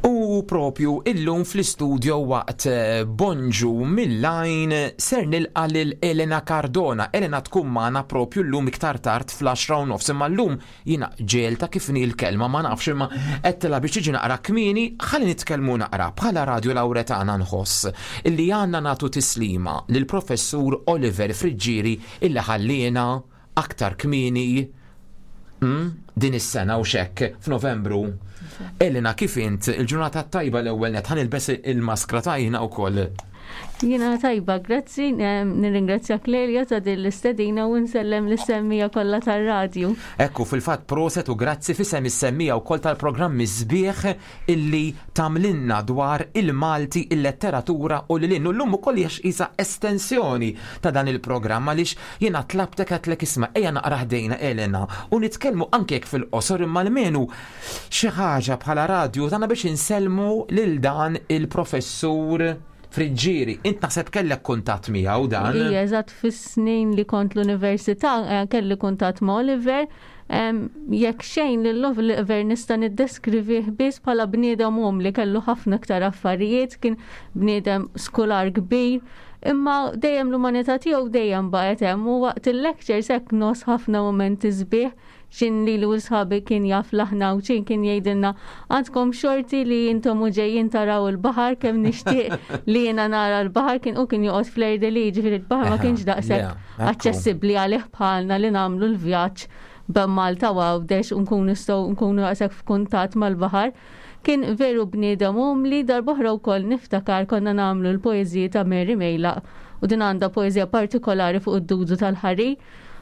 U propju illum fl-istudio waqt eh, Bonġu mill-Għajn ser nilqa lil Elena Cardona. Elena tkun magħna propju llum iktar tard fl-għaxra u nofs, imma llum jiena ġelta kif ni l-kelma ma nafx imma għedtilha biex tiġi naqra kmieni, ħalli nitkellmu naqra bħala Radio Lauretana nħoss illi għandna nagħtu tislima lil professur Oliver Friggieri illi ħalliena aktar kmieni mm, din is-sena u xekk f'Novembru. Elena, kif int il-ġurnata tajba l-ewwel net ħa nilbes il-maskra tajna wkoll. Jiena tajba, grazzi, em, nirringrazzja Clelia ta' din l-istedina u nsellem lis-semmiegħa kollha tar-radju. Ekku, fil-fatt proset u grazzi f'isem is-semmiegħa wkoll tal-programmi sbieħ illi tagħmlilna dwar il-Malti, il-letteratura u lil hinn. U llum ukoll hija qisha estensjoni ta' dan il-programm għaliex jiena tlabtek għedtlek isma' ejja naqra ħdejna Elena u nitkellmu anke jekk fil-qosor imma almenu xi ħaġa bħala radju tagħna biex insellmu lil dan il-professur Friggieri. Int naħseb kellek kuntatt miegħu dan. Ija, eżatt fis-snin li kont l-università eh, kelli kuntatt ma' Oliver. Em, Jekk xejn lil Oliver nista' niddeskrivih biss bħala bniedem umli kellu ħafna iktar affarijiet, kien bniedem skular kbir, imma dejjem l-umanità tiegħu dejjem baqgħet hemm u waqt il-lectures hekk nos ħafna momenti sbieħ xin li l sħabi kien jaf laħna u ċin kien jgħidilna għandkom xorti li intom u ġejjin taraw il-baħar kemm nixtieq li jiena nara l-baħar kien u kien joqgħod fl-Erdeli ġifieri il-baħar ma kienx daqshekk Yeah, ekku. aċċessibbli għalih bħalna li nagħmlu l-vjaġġ bejn Malta u Għawdex u nkunu nistgħu nkunu daqshekk f'kuntatt mal-baħar. Kien veru bniedem umli darb'oħra wkoll niftakar konna nagħmlu l-poeżiji ta' Mary Mejlaq u din għandha poeżija partikolari fuq id-dudu tal-ħari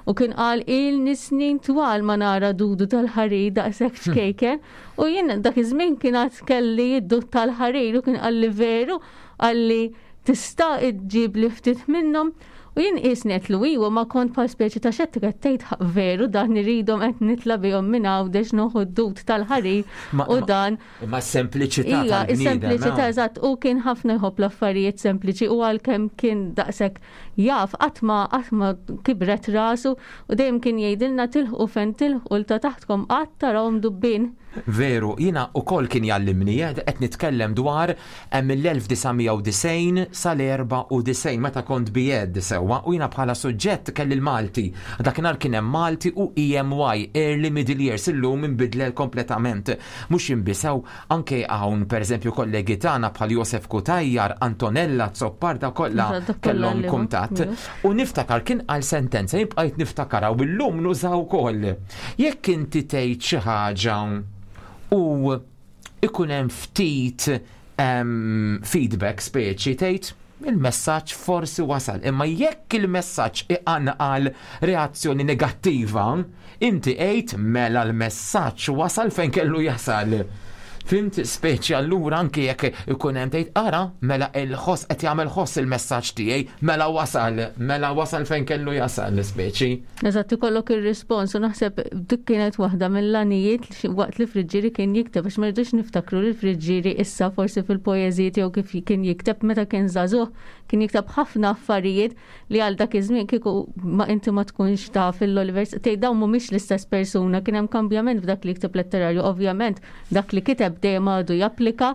u kien qal ilni snin twal ma nara dudu tal-ħarir daqshekk ċkejken u jien dak iż-żmien kien għad kelli id-dud tal-ħarir u kien qalli veru qalli tista' iġġib li ftit minnhom U jien qisni qed iwa ma kont bħal speċi ta' xettika tgħid veru dan iridhom qed nitla' bihom minn Għawdex noħu d-dud tal-ħarir u dan. Imma s-sempliċità Ija, tal-bniedem. is-sempliċità eh? eżatt, u kien ħafna jħobb l-affarijiet sempliċi u għalkemm kien daqshekk jaf qatt ma qatt ma kibret rasu u dejjem kien jgħidilna tilħqu fejn tilħqu 'l ta' taħtkom qatt tarawhom dubbin. Veru, jiena ukoll kien jgħallimni, eh, qed nitkellem dwar eh, mill-elf disa' mija u disgħin sal-erbgħa u disgħin meta kont B Ed sewwa u jiena bħala suġġett kelli l-Malti. Dakinhar kien hemm Malti u E M Y, Early Middle Years, illum inbidlel kompletament. Mhux jinbisew anke hawn pereżempju kollegi tagħna bħal Josef Cutajar, Antonella Zopparda kollha Eżatt, kollha kellhom għallimhom, kuntatt. veru. U niftakar kien għal sentenza jibqajt niftakara u llum nużaw ukoll. Jekk inti tgħid xi ħaġa u ikun hemm ftit em, feedback speċi tgħid il-messaġġ forsi wasal, imma jekk il-messaġġ iqanqal reazzjoni negattiva, inti għid mela l-messaġġ wasal fejn kellu jasal. Fhimt, speċi allura anke jekk ikun hemm tgħid ara mela il-ħoss qed jagħmel ħoss il-messaġġ tiegħi, mela wasal, mela wasal fejn kellu jasal speċi. Eżatt, ikollok ir-rispons u naħseb dik kienet waħda mill-għanijiet li waqt li Friggieri kien jikteb, għax ma rridux niftakru li Friggieri issa forsi fil-poeżiji tiegħu kif kien jikteb meta kien żagħżugħ kien jikteb ħafna affarijiet li għal dak iż-żmien kieku ma inti ma tkunx taf il-Oliver tgħid dawn mhumiex l-istess persuna, kien hemm kambjament f'dak li jikteb letterarju, ovvjament dak li kiteb dejjem għadu japplika,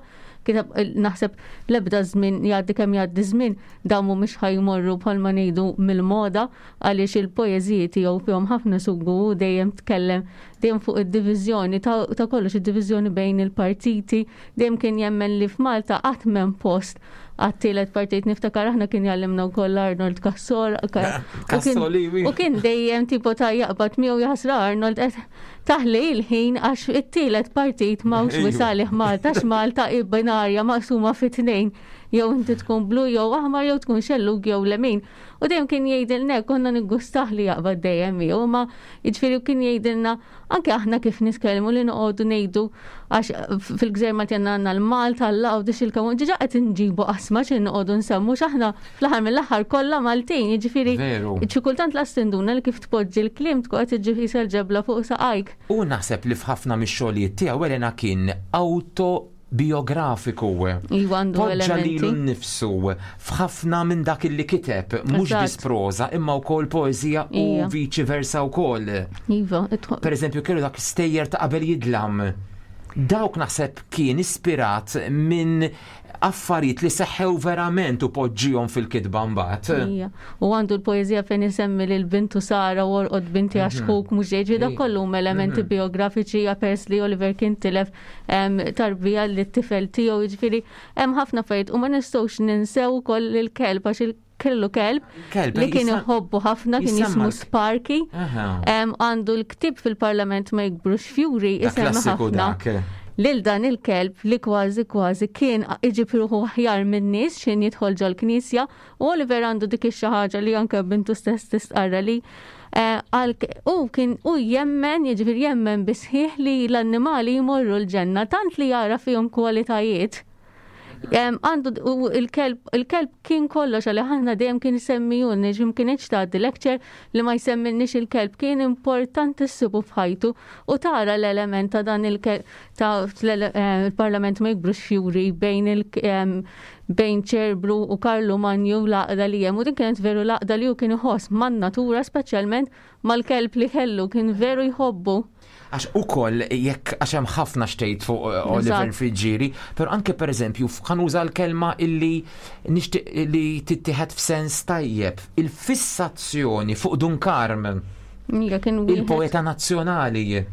kiteb naħseb l-ebda żmien jgħaddi kemm jgħaddi żmien dawn mhumiex ħa jmorru bħalma ngħidu mill-moda għaliex il-poeżiji tiegħu fihom ħafna sugu u dejjem tkellem dejjem fuq id-diviżjoni ta' ta' kollox, id-diviżjoni bejn il-partiti, dejjem kien jemmen li f'Malta qatt m'hemm post għat-tielet partit. Niftakar aħna kien jgħallimna wkoll Arnold Cassol u kien- Cassoli, u kien dejjem tipo ta' jaqbad miegħu jaħsra Arnold qed taħli il-ħin għax it-tielet partit m'hawnx Ejju. wisalih Malta, għax Malta hi binarja maqsuma fi tnejn, jew inti tkun blu jew aħmar jew tkun xellug jew lemin. U dejjem kien jgħidilna, konna niggustah li jaqbad dejjem miegħu, ma jiġifieri kien jgħidilna anke aħna kif nitkellmu li noqogħdu ngħidu għax fil-gżejjer Malti għandna l-Malta, l-Għawdex, il-Kamun, ġiġa qed inġibu qasma xi noqogħdu nsemmu x'aħna fl-aħħar mill-aħħar kollha Maltin, jiġifieri Veru. xi kultant las tinduna li kif tpoġġi l-kliem tkun qed iġġib qisha l-ġebla fuq saqajk. U naħseb li f'ħafna mix-xogħlijiet tiegħu Elena kien autobiografiku. Iva, għandu Poġġa elementi. lilu nnifsu f'ħafna minn dak li kiteb, mhux Eżatt. biss proża imma wkoll poeżija u Ija. viċi versa wkoll. Iva, itħo- Per eżempju, kellu dak stejjer ta' qabel jidlam. Dawk naħseb kien ispirat minn affarijiet li seħħew verament u poġġihom fil-kitba mbagħad. Ija. U għandu l-poezija fejn isemmi lil bintu Sara u orqod binti għax Mhm. ħuk mhux ġej, dak Ija. kollu huma elementi Mhm. biografiċi pers li Oliver kien tilef em, tarbija li t-tifel tiegħu, jiġifieri hemm ħafna affarijiet u ma nistgħux ninsew ukoll il-kelb għax il kellu kelb Kelb, li kien jisa- iħobbu ħafna, kien jisemma jismu l- Sparky. Aha. Em, Għandu l-ktib fil-Parlament ma jikbrux fjuri Dak isemmi klassiku ħafna dak. lil dan il-kelb li kważi kważi kien iġib ruħu aħjar minn nies xin jidħol ġol-knisja u Oliver għandu dik ix-xi ħaġa li anke bintu stess tistqarra li eh, għal u kien u jemmen, jiġifieri jemmen bisħiħ li l-annimali jmorru l-ġenna tant li jara fihom kwalitajiet. Em, Għandu u il-kelb, il-kelb kien kollox għalli ħana dejjem kien isemmijun, ġim kienx tgħaddi lecture li ma jsemmilniex il-kelb, kien importantissimu f'ħajtu u tara l-element ta' dan il-kelb ta' l- eh, il-Parlament ma jikbrux fjuri bejn il- em, bejn Ċerbru u Karlu Manju, l-għaqda li hemm u din kienet veru l-għaqda li hu kien iħoss man-natura, speċjalment mal-kelb li kellu, kien veru jħobbu. Għax ukoll jekk għax hemm ħafna xtejt fuq uh, Oliver Eżatt. Friggieri, però anke per eżempju ħa nuża l-kelma illi nixtieq li tittieħed f'sens tajjeb, il-fissazzjoni fuq Dun Karm, Ija, kien wieħed- il-poeta nazzjonali,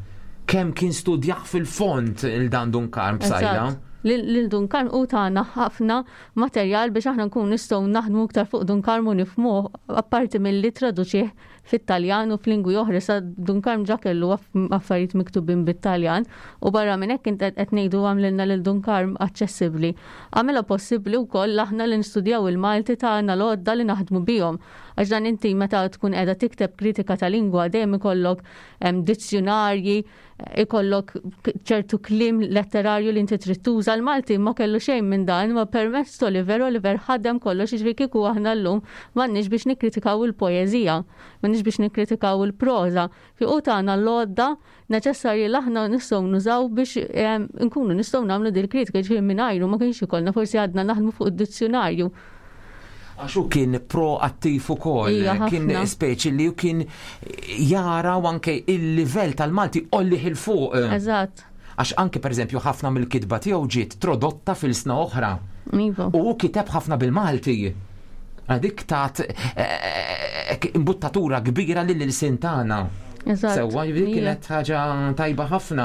kemm kien studjah fil-fond il dan Dun Karm Psaila. Eżatt. Lil lil Dun Karm u tana ħafna materjal biex aħna nkun nistgħu naħdmu iktar fuq Dun Karm u nifhmuh apparti milli traduċih fit-Taljan u f'lingwi oħra, sa Dun Karm ġa kellu aff- affarijiet miktubin bit-Taljan u barra minn hekk int qed ngħidu għamlilna lil Dun Karm aċċessibbli. Għamilha possibbli wkoll aħna li nistudjaw il-Malti tagħna l-għodda li naħdmu bihom. Għax dan inti meta tkun qiegħda tikteb kritika ta' lingwa dejjem ikollok em, dizzjonarji, ikollok k- ċertu kliem letterarju li inti trid tuża. L-Malti ma kellu xejn minn dan, ma permezz Oliver, Oliver ħadem kollox, jiġifieri kieku aħna llum m'għandniex biex nikkritikaw il-poeżija, m'għandniex biex nikkritikaw il-proża. Fi u tagħna l-għodda neċessarji li aħna nistgħu nużaw biex em, nkunu nistgħu nagħmlu dil kritika, jiġifieri mingħajru ma kienx ikollna, forsi għadna naħdmu fuq id-dizzjonarju. Għax hu kien proattiv ukoll, Ija, kien ħafna. speċi li hu kien jara u anke il-livell tal-Malti għollih 'il fuq. Eżatt. Għax anke pereżempju ħafna mill-kitba tiegħu ġiet tradotta f'ilsna oħra. Iva. U hu kiteb ħafna bil-Malti. Dik tat eh, eh, imbuttatura kbira lil-ilsien tagħna. Eżatt. Sewwa, dik Ija. kienet ħaġa tajba ħafna.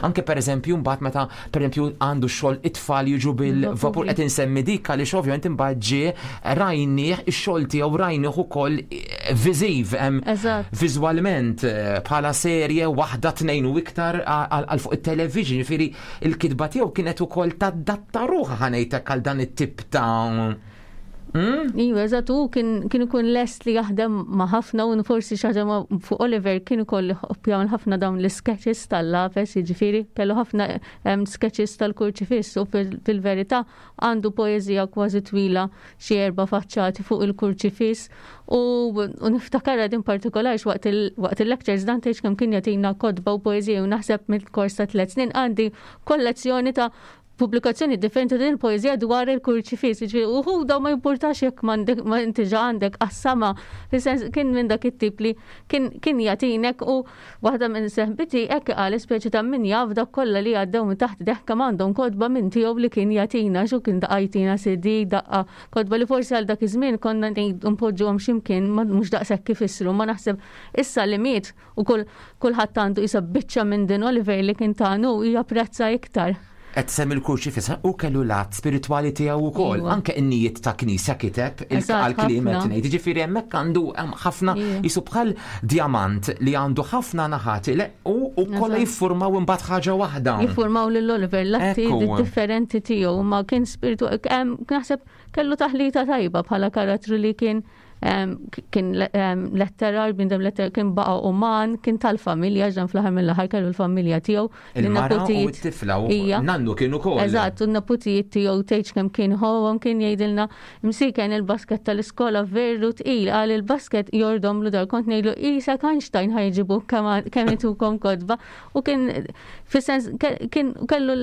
Anke per eżempju mbagħad meta per eżempju għandu xogħol it-tfal jiġu bil-vapur, qed insemmi dik għaliex ovvjament imbagħad ġie rajnieh ix-xogħol tiegħu, rajnieh ukoll eh, viżiv, hemm Eżatt. viżwalment eh, bħala serje waħda, tnejn u iktar għal għal fuq it-television, jiġifieri il-kitba tiegħu kienet ukoll tadatta ruħha, ħa ngħidlek, għal dan it-tip ta' Hmm? Iva, eżatt, u kien kien ikun lest li jaħdem ma' ħafna, u forsi xi ħaġa ma' fuq Oliver kien ukoll jagħmel ħafna dawn l-sketches tal-lapes, jiġifieri kellu ħafna em, sketches tal-kurċifiss u fil- fil-verità għandu poeżija kważi twila, xi erba' faċċati fuq il-kurċifiss u, u niftakar din partikolari waqt il- waqt il-lectures dan tgħidx kemm kien jagħtina kotba u poeżija, u naħseb mill-kors ta' tliet snin għandi kollezzjoni ta' pubblikazzjoni differenti din il-poeżija dwar il-kurċifiss. Ġifieri, uħu daw ma jimpurtax jekk m'għandek ma inti ġa għandek qassama. Fis-sens kien minn dak it-tip li kien kien jagħtinek, u waħda minn seħbiti hekk qal, speċi ta' min jaf dak kollha li għaddew minn taħt deħka m'għandhom kotba minn tiegħu li kien jagħtina, xu kien daqqa jtina C D, daqqa kotba li forsi għal dak iż-żmien konna ngħidu npoġġuhom x'imkien ma mhux daqshekk kif issru, ma naħseb issa li miet u kull kulħadd għandu isa biċċa minn din Oliver li kien tagħnu japprezza iktar. Qed semmi l-kurċifiss, u kellu lat spiritwali tiegħu wkoll. Iva. Anke in-nijiet ta' knisja kiteb Eżatt, għal-kliem qed ħafna. ngħid. Jiġifieri hemmhekk għandu hemm ħafna, Iva. jisu bħal diamant li għandu ħafna naħat le- u u kollha Eżatt. jiffurmaw imbagħad ħaġa waħda. Jiffurmaw lil Oliver l-atti Ekku. differenti tiegħu, ma kien spiritu em, naħseb kellu taħlita tajba bħala karattru li kien em, kien em, letterar, bniedem letterar, kien baqa uman, kien tal-familja, ġan fl-aħħar mill-aħħar kellu l-familja tiegħu. Il-mara u Lin-neputijiet- t-tifla u Ija. nannu kienu ukoll. Eżatt, u n-neputijiet tiegħu tgħidx kemm kien ħobhom, kien jgħidilna msiken il-basket tal-iskola veru tqil, qal il-basket jordom lu dar, kont ngħidlu isa Einstein ħa jġibu kemm kemm itukom kotba, u kien fis-sens ke- kien kellu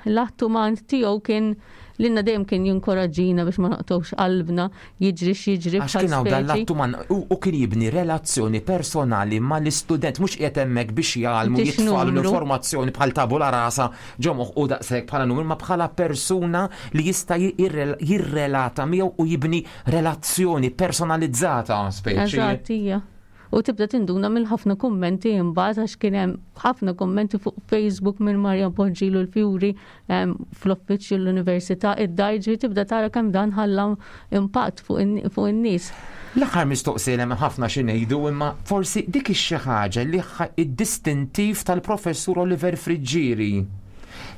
l-att uman tiegħu, kien lilna dejjem kien jinkoraġġina biex ma naqtgħux qalbna jiġri x'jiġri. Għax bħal kien hawn dan speċi. l-attu man u u kien jibni relazzjoni personali mal-istudent, mhux qiegħed hemmhekk biex jgħallmu, Biex jitfalu numru. l-informazzjoni bħal tabula rasa ġo moħħu u daqshekk bħala numru, ma bħala persuna li jista' jirrel- jirrelata miegħu u jibni relazzjoni personalizzata speċi. Eżatt, hija. U tibda tinduna mill ħafna kummenti imbagħad, għax kien hemm ħafna kummenti fuq Facebook minn Marja Poġġilu l-Fjuri em, fl-uffiċċju l-università id-dar, ġifieri tibda tara kemm dan ħalla impatt fuq in- fuq in-nies. L-aħħar mistoqsija, hemm ħafna xi ngħidu, imma forsi dik ix-xi ħaġa li ħa- id-distintiv tal-professur Oliver Friggieri.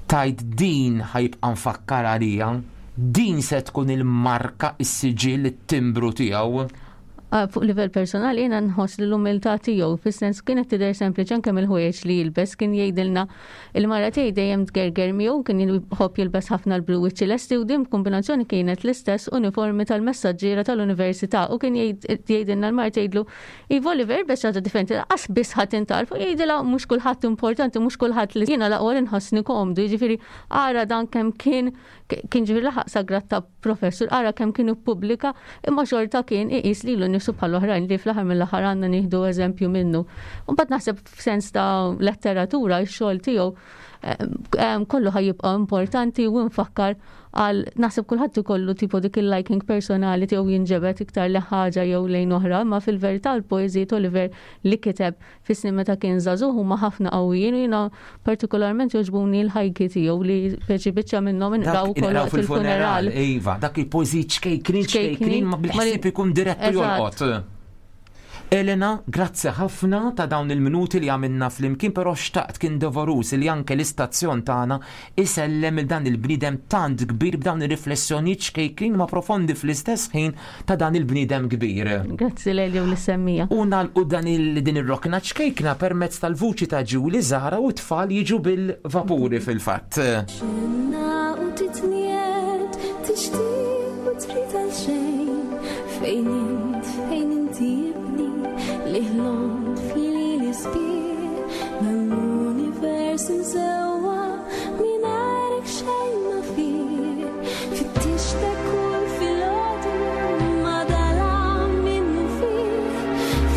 Tajt din ħa jibqa' nfakkar għalija, din se tkun il-marka, is-siġill, it-timbru tiegħu. Ah, fuq livell personali jiena nħoss li l-umiltà tiegħu, fis-sens kienet tidher sempliċi anke mill-ħwejjeġ li jilbes, kien jgħidilna il-mara tiegħi dejjem tgerger miegħu, kien jħobb jilbes ħafna l-blu u ċ-ċilesti, u din kombinazzjoni kienet l-istess uniformi tal-messaġġiera tal-università, u kien jgħid- jgħidilna l-mara tgħidlu, "Iva Oliver, biex ħaġa differenti qas biss ħadd intarfu," jgħidilha, "Mhux kulħadd importanti, mhux kulħadd li jiena l-aqwa li nħossni komdu," jiġifieri ara dan kemm kien kien ġifieri laħaq sa grad ta' professur, ara kemm kien ippubblika, imma xorta kien iqis lilu nnifsu bħal oħrajn li fl-aħħar mill-aħħar għandna nieħdu eżempju minnu. U mbagħad naħseb f'sens ta' letteratura x-xogħol tiegħu em, kollu ħa jibqa' importanti u nfakkar għal naħseb kulħadd ikollu tipo dik il-liking personali tiegħu, jinġebet iktar li ħaġa jew lejn oħra, ma fil-verità l-poeżiji Oliver li kiteb fis-snin meta kien żagħżugħ huma ħafna qawwijin, u jiena partikolarment jogħġbuni l-ħajki tiegħu li speċi biċċa minnhom inqraw ukoll Inqraw waqt il-funeral. Iva, dak il-poeżiji ċkejknin, ċkejknin, ma bil-ħsieb ikun direttu Eżatt. jolqot. Elena, grazzi ħafna ta' dawn il-minuti li għamilna flimkien, però xtaqt kien doveruż li anke l-istazzjon tagħna isellem il dan il-bniedem tant kbir b'dawn ir-riflessjonijiet ċkejkin ma profondi fl-istess ħin ta' dan il-bniedem kbir. Grazzi Lelio li semmija. U nagħlqu dan il din ir-rokna ċkejkna permezz tal-vuċi ta' Ġuli Zahra u t-tfal jiġu bil-vapuri fil-fatt. Xenna u titniet, tixtieq u trid għal xejn. Fejn int, fejn inti ibni, li ħlomt fili sbieħ, dal-univers imżewwa mingħajrek xejn ma fih. Fittixtek kull filgħodu ma dalam minnu fih.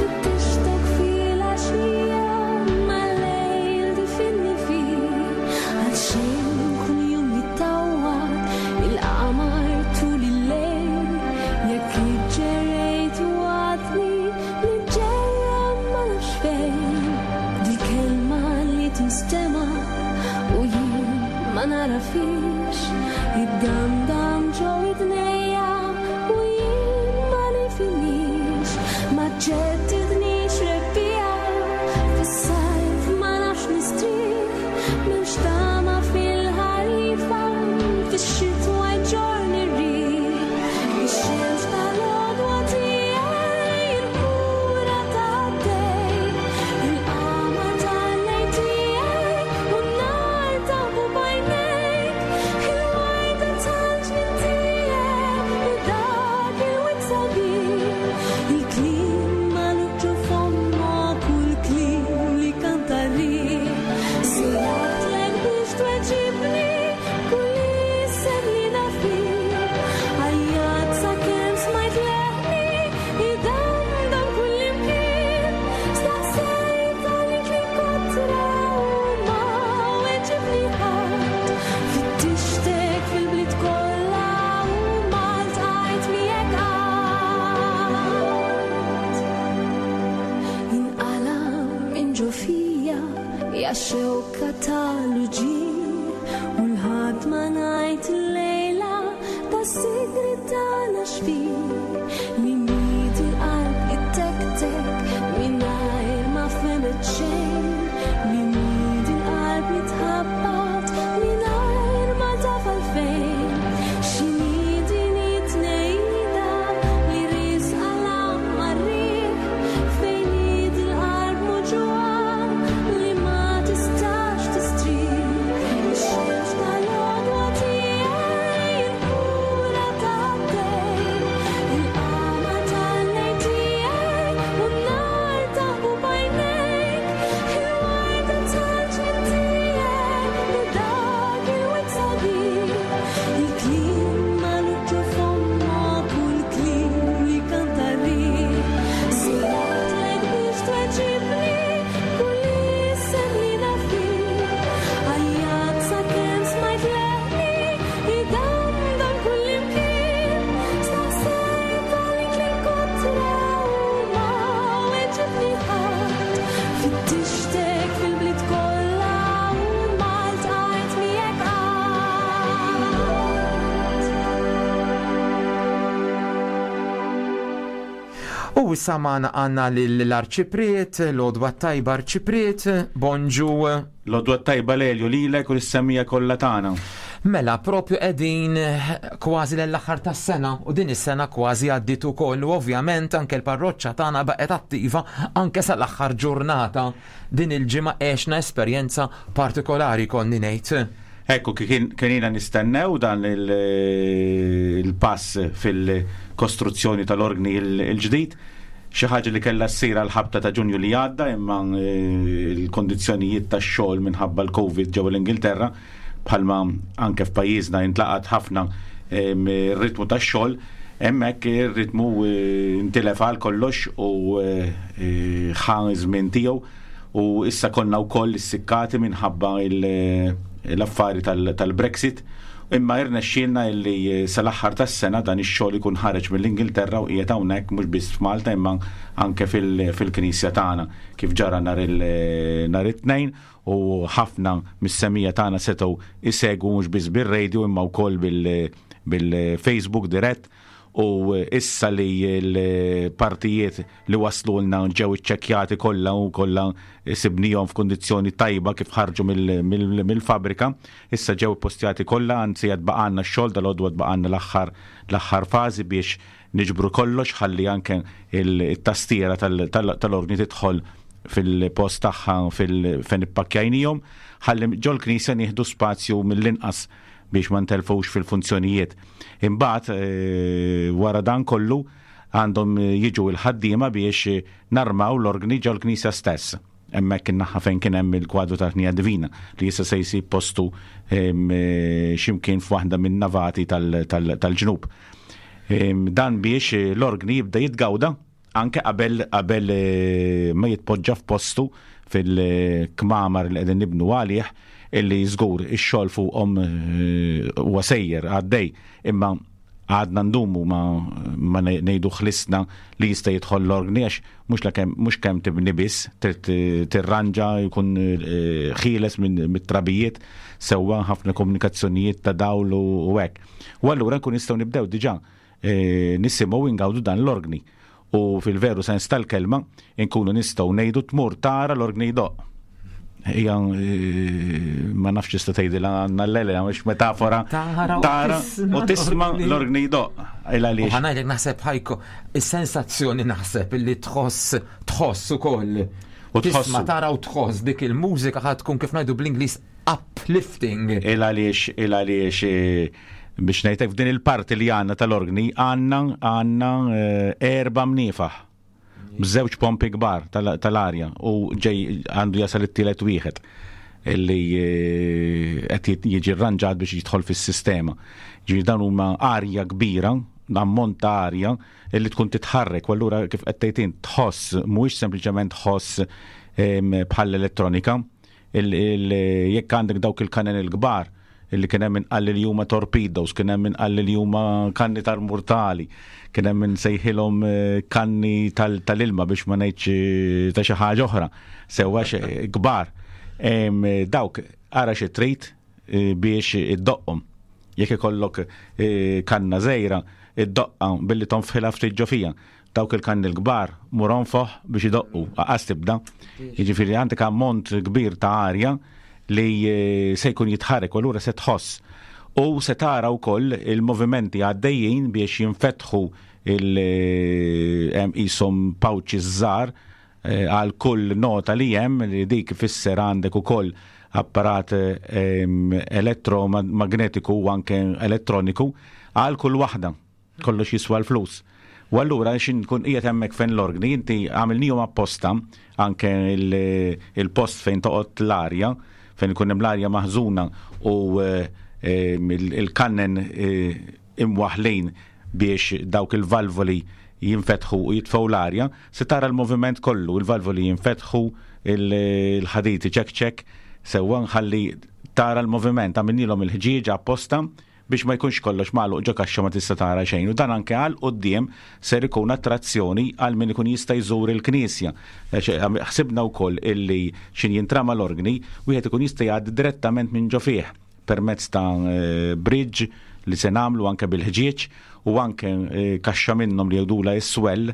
Fittixtek fil-għaxija ma lejl difinni fih. Għal xejn kull jum jittawwal il-qamar tul il-lejl. Jekk iġġerejt u għadni niġġerra ma nafx fejn. Dil-kelma li tinstema' u jien ma narafix. Id-damdam ġo idnejja u jien ma nifhimix. Ma ġeddidnix rebbiegħa fis-sajf ma nafx nistrieħ. M'hemmx tama fil-ħarifa fix-xitwa jġorni r-riħ. Ix-xemx tal-għodwa tiegħi il-kura tad-dej. Il-qamar tal-lejl tiegħi u n-nar ta' b'għajnejk. Il-warda tal-ġnien tiegħi dak il-wied sabiħ. Il-kliem magħluq ġo fommok u l-kliem li kanta r-riħ. Sejjaħtlek biex tweġibni kull isem li naf bih. Għajjat sakemm smajt leħni idamdam kull imkien. Staqsejt għalik li kotra u ma weġibni ħadd. Fittixtek fil-bliet kollha u ma ltqajt miegħek qatt. Inqala minn ġo fija ja xewka tal-uġigħ u l-ħadd ma ngħid illejla ta' sigriet tagħna xbih li miet il-qalb ittektek mingħajr ma fhemet xejn li miet il-qalb jitħabbat mingħajr ma taf għalfejn. X'inhi din it-tnejda li riesqa l-għamma r-riħ fejn hi dil-qalb muġugħa li ma tistax tistrieħ. Ix-xemx tal-għodwa tiegħi il-kura tad-dej. Il-qamar tal-lejl tiegħi u n-nar ta' b'għajnejk. Il-warda tal-ġnien tiegħi dak il-wied sabiħ. Il-kliem magħluq ġo fommok u l-kliem li kanta r-riħ. Sejjaħtlek biex tweġibni kull isem li naf bih. Għajjat sakemm smajt leħni idamdam kull imkien. Staqsejt għalik li kotra u ma weġibni ħadd. Fittixtek fil-bliet kollha u ma ltqajt miegħek qatt. U issa magħna għandna l-Arċipriet, l-Odwa Tajba Arċipriet, bonġu. L-Odwa Tajba Lelju lilek u lis-semmiegħa kollha tagħna. Mela, propju qegħdin kważi l-aħħar tas-sena u din is-sena kważi għaddiet ukoll u ovvjament anke l-parroċċa tagħna baqgħet attiva anke sal-aħħar ġurnata. Din il-ġimgħa għexna esperjenza partikolari konni ngħid. Ekku, kien kienina nistennew dan il-pass fil-kostruzzjoni tal-orgni il-ġdid, xi ħaġa li kellha ssir għal ħabta ta' Ġunju li għadda, imma l-kondizzjonijiet tax-xogħol minħabba l-Covid ġewwa l-Ingilterra, bħalma anke f'pajjiżna intlaqat ħafna ir-ritmu tax-xogħol, hemmhekk ir-ritmu intilef għal kollox u ħa żmien tiegħu u issa konna wkoll issikkati minħabba l-affari tal-Brexit, imma irnexxielna illi sal-aħħar tas-sena dan ix-xogħol ikun ħareġ mill-Ingilterra u qiegħed hawnhekk mhux biss f'Malta imma anke fil-Knisja tagħna kif ġara nhar it-Tnejn u ħafna mis-semmiegħa tagħna setgħu isegwu mhux biss bir-radio imma wkoll bil-Facebook dirett U issa li l-partijiet li waslulna ġew iċċekkjati kollha u kollha sibnihom f'kundizzjoni tajba kif ħarġu mill-fabrika, issa ġew postjati kollha, anzi għad baqgħalna x-xogħol dal-għodu, għad baqgħalna l-aħħar l-aħħar fażi biex niġbru kollox ħalli anke il-tastiera tal-orgni tidħol fil-post tagħha fejn ippakkjajnihom, ħalli ġol-knisja nieħdu spazju mill-inqas biex ma ntelfux fil-funzjonijiet. Imbagħad eh, wara dan kollu għandhom jiġu il-ħaddiema biex narmaw l-orgni ġol-knisja stess. Hemmhekk in-naħa fejn kien hemm il-kwadru tal-Ħnija Divina li issa se jsib postu eh, x'imkien f'waħda minn navati tal-ġnub. Dan biex l-orgni jibda jitgawda anke qabel qabel eh, ma jitpoġġa f'postu fil-kmamar li qegħdin nibnu għalih, illi żgur ix-xogħol fuqhom eh, huwa sejjer għaddej, imma għadna ndumu ma, ma ngħidu ħlisna li jista' jidħol l-orgni, għax mhux kemm mhux kemm tibni biss, trid tirranġa, jkun eh, ħieles minn mit-trabijiet sewwa, ħafna komunikazzjonijiet ta' dawl u hekk. U allura nkun nistgħu nibdew diġà eh, nisimgħu ingawdu dan l-orgni. U fil-veru sens tal-kelma nkunu nistgħu ngħidu tmur tara l-orgni jdoqq. Hija eh, ma nafx tista' tgħidilha għandna l-lele mhux metafora. Tara Tara u tisma' l-orgni jdoqq. Il U għaliex. Ħa ngħidlek, naħseb ħajko, is-sensazzjoni naħseb illi tħoss tħoss ukoll. U tħossu. Tisma', tara u tħoss dik il-mużika ħa tkun, kif ngħidu bl-Ingliż, uplifting. Il għaliex il għaliex eh, biex ngħidlek, f'din il-parti li għandna tal-orgni għandna għandna eh, erba' mniefaħ b'żewġ pompi kbar tal-arja u ġej għandu jasal it-tielet wieħed illi eh, qed jiġi rranġat biex jidħol fis-sistema. Ġifieri dan huma arja kbira, ammont ta' arja illi tkun titħarrek, u allura kif qed tgħid tħoss, mhuwiex sempliċement ħoss bħall elettronika. Jekk għandek dawk il-kanen il-kbar illi kien hemm min li huma torpedoes, kien hemm min li huma kanni tal-murtali, kien hemm min sejħilhom eh, kanni tal-ilma biex ma ngħidx eh, ta' xi ħaġa oħra, sewwa kbar. Dawk ara xi trid eh, biex iddoqqhom. Jekk ikollok kanna żgħira, id-doqqa billi tonfħilha ftit ġo fija. Dawk il-kanni l-kbar mur onfoħ biex idoqqu, aqas tibda. Jiġifieri għandek ammont kbir ta' arja li eh, se jkun jitħarrek u allura se tħoss. U se tara wkoll il-movimenti għaddejjin biex jinfetħu il-isom eh, pouches żgħar eh, għal kull nota li hemm, li dik ifisser għandek ukoll apparat elettromagnetiku u anke elettroniku għal kull waħda. Kollox jiswa l-flus. U allura xin kun qiegħed hemmhekk fejn l-orgni, inti għamilnihom apposta anke il-post fejn toqgħod l-arja, fejn ikun hemm l-arja maħżuna u eh, eh, il-kannen eh, imwaħlin biex dawk il-valvoli jinfetħu u jitfgħu l-arja, se tara l-moviment kollu, il-valvoli jinfetħu, il-ħadid ċek ċek, sewwa nħalli tara l-moviment, għamilnilhom il-ħġieġ apposta biex ma jkunx kollox magħluq ġo kaxxa ma tista' tara xejn. U dan anke għal quddiem ser ikun attrazzjoni għal min ikun jista' jżur il-knisja. Ħsibna wkoll illi xin jintrama l-orgni, wieħed ikun jista' jgħaddi direttament minn ġo fih permezz ta' eh, bridge li se nagħmlu anke bil-ħġieġ u anke eh, kaxxa minnhom li jgħidula is-swell.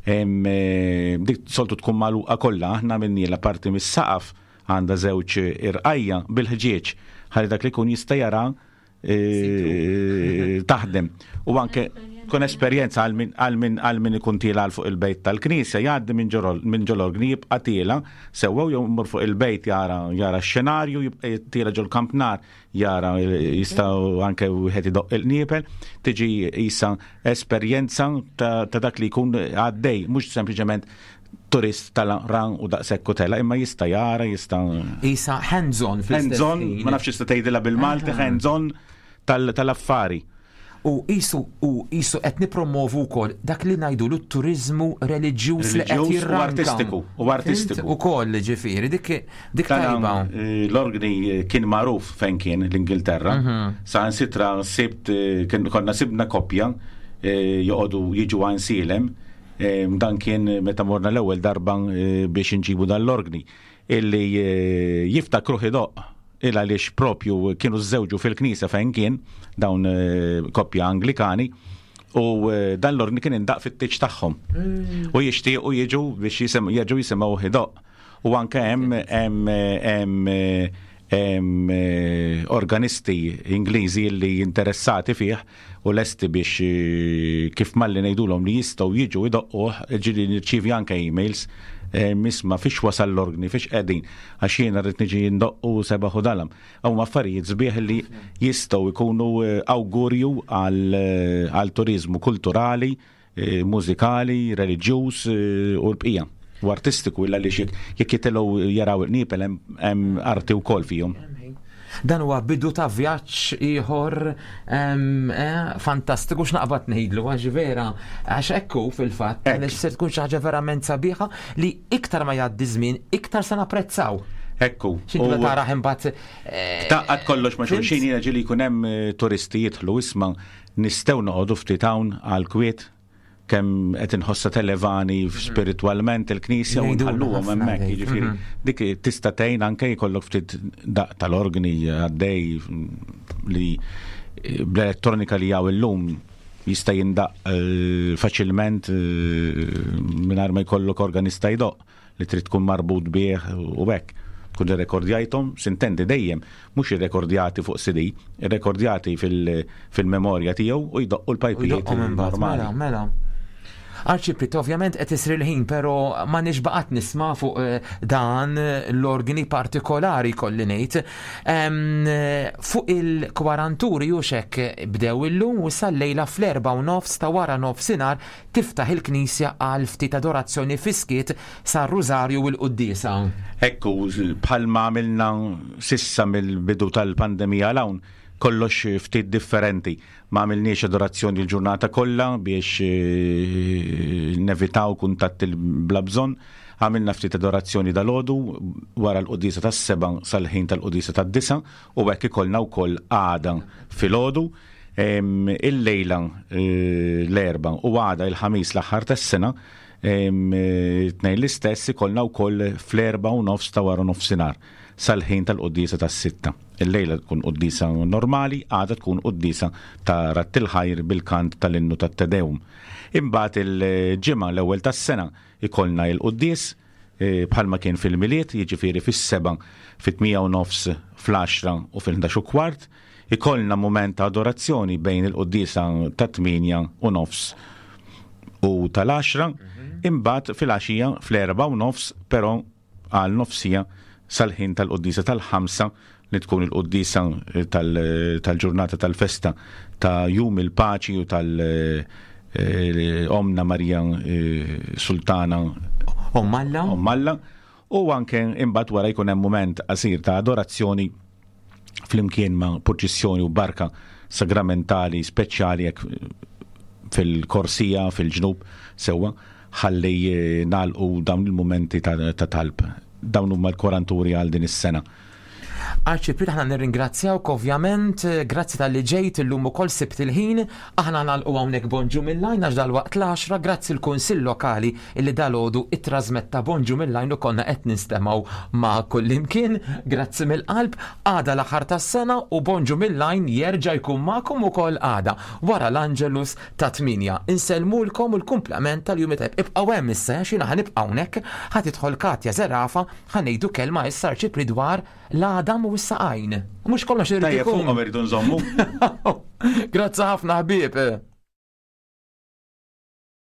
eh, dik soltu tkun magħluqa kollha, aħna minni la parti mis-saqaf għandha żewġ irqajja bil-ħġieġ ħalli dak li jkun jista' jara eh, taħdem. U anke tkun esperjenza għal min għal min għal min ikun tiela għal fuq il-bejt tal-knisja, jgħaddi minn ġorol- minn ġol-orgni, jibqa' tiela sewwa, jew jmur fuq il-bejt jara jara x-xenarju, jibqa' tiela ġol-kampnar jara, jista' anke wieħed idoq il-qniepel, tiġi isa esperjenza ta' ta' dak li jkun għaddej, mhux sempliċement turist tal-ran u daqshekk u tela, imma jista' jara, jista' Isa hands-on fl-istess hands-on, ħin. ma nafx jista' tgħidilha bil-Malti, Aha. hands-on tal- tal-affari. U isu u isu qed nipromovu wkoll dak li ngħidu l-turiżmu reliġjuż li qed Reliġjuż u jirranka. artistiku, u artistiku. Ukoll ġifieri dik dik Tana, tajba. eh, L-orgni eh, kien magħruf fejn kien l-Ingilterra. Mhm. Sa sitra sibt eh, kien- konna sibna koppja eh, joqogħdu jiġu Għajnsielem. Eh, Dan kien meta morna l-ewwel darba eh, biex inġibu dan l-orgni illi eh, jiftakruh idoqq il għaliex propju kienu żewġu fil-knisja fejn kien dawn eh, koppja Anglikani. U eh, dan l-orgni kien indaq fit-tieġ tagħhom. U jixtiequ jiġu biex jisim, jerġgħu jisimgħu idoqq. U anke hemm hemm hemm hemm eh, organisti Ingliżi li interessati fih u lesti biex eh, kif malli ngħidulhom li jistgħu jiġu idoqquh, ġieli nirċievi anke emails eh, misma fiex wasal l-orgni, fiex qegħdin, għax jiena rrid niġi ndoqqu sebaħ u dalam. Hawn affarijiet sbieħ li jistgħu jkunu eh, awgurju għal eh, għal turizmu kulturali, eh, mużikali, reliġjuż eh, u l-bqija. U artistiku illa li jekk jekk jitilgħu jaraw il-qniepel hemm hemm arti wkoll fihom. Dan huwa bidu ta' vjaġġ ieħor em, eh, fantastiku x'naqbad ngħidlu għax vera għax ekku fil-fatt għaliex se tkun xi ħaġa verament sabiħa li iktar ma jgħaddi żmien iktar se napprezzaw. Ekku. X'inti U- taraħ imbagħad eh, Taqqat kollox ma' xulxin jiena ġieli jkun hemm eh, turisti jidħlu isma' nistgħu noqogħdu ftit hawn għal kwiet kemm qed inħossa televani spiritualment il-knisja u Jgħidulna nħalluhom ħafna hemmhekk, dik. jiġifieri Mhm. dik tista' tgħin anke jkollok ftit daq tal-organi għaddej li eh, bl-elettronika li hawn illum jista' jindaq eh, faċilment eh, mingħajr ma jkollok organista jdoqq li trid tkun marbut bih u hekk. Tkun irrekordjajthom, sintendi dejjem, mhux irrekordjati fuq C D, irrekordjati fil- fil-memorja tiegħu u jdoqqu l-pajpijiet Jdoqqhom imbagħad, normali. Mela, mela. Arċipriet, ovvjament qed isir il-ħin, però ma nixbaqat nisma' fuq eh, dan l-organi partikolari kolli ngħid. Em, eh, Fuq il-kwaranturi u xek bdew illum u sal-lejla fl-erba u nofs ta' wara nofsinhar tiftaħ il-knisja għal ftit adorazzjoni fis-skiet sar-Rużarju u l-Quddiesa. Ekku, bħalma għamilna sissa mill-bidu tal-pandemija 'l hawn, kollox ftit differenti. Ma għamilniex adorazzjoni l-ġurnata kollha biex eh, nevitaw kuntatti bla bżonn. Għamilna ftit adorazzjoni dal-għodu wara l-quddiesa tas-seba sal-ħin tal-quddiesa tad-disa u hekk ikollna wkoll għada filgħodu. Em, Il-lejla eh, l-erba u għada il-ħamis l-aħħar tas-sena em, eh, tnejn l-istess ikollna wkoll fl-erba u nofs ta' wara nofsinhar sal-ħin tal-quddiesa tas-sitta. Il-lejla tkun quddiesa normali, għada tkun quddiesa ta' radd il-ħajr bil-kant tal-innu tat-Te Deum. Imbagħad il-ġimgħa l-ewwel tas-sena ikollna il-quddies eh, bħalma kien fil-Milied, jiġifieri fis-seba, fit-tmienja u nofs, fl-għaxra u fil-ħdax u kwart, ikollna moment ta' adorazzjoni bejn il-quddiesa ta' tmienja u nofs u tal-għaxra, imbagħad fil-għaxija fl-erba u nofs, però għal nofs siegħa sal-ħin tal-quddiesa tal-ħamsa li tkun il-quddiesa tal- tal-ġurnata tal-festa ta' Jum il-Paċi u tal- eh, Omna Marija eh, Sultana Ommalla. Ommalla u anke imbagħad wara jkun hemm moment qasir ta' adorazzjoni flimkien ma' purċissjoni u barka sagramentali speċjali hekk fil-korsija, fil-ġnub, sewwa, ħalli eh, nagħlqu dawn il-momenti ta' ta' talb. Dawn huma l-koranturi għal din is-sena. Arċipriet, aħna nirringrazzjawk ovvjament, eh, grazzi talli ġejt illum ukoll sibt il-ħin, aħna nagħlqu hawnhekk Bonġu mill-Għajn għax dal-waqt l-għaxra, grazzi l-Kunsill Lokali illi dalgħodu ittrażmetta Bonġu mill-Għajn u konna qed nistemgħu ma' kullimkien, grazzi mill-qalb, għada l-aħħar tas-sena u Bonġu mill-Għajn jerġa' jkun magħkom ukoll għada wara l-Angelus ta' tmienja. Insellmulkom u l-kumplament tal-jum tajb. Ibqgħu hemm issa, għax jiena ħa nibqa' hawnhekk, ħa tidħol Katja Zerafa, ħa ngħidu kelma issa Arċipriet dwar l-għadam u s-saqajn. Mhux kollox irid Tajjeb ikun. fuqhom irridu nżommu. Grazzi ħafna ħbieb.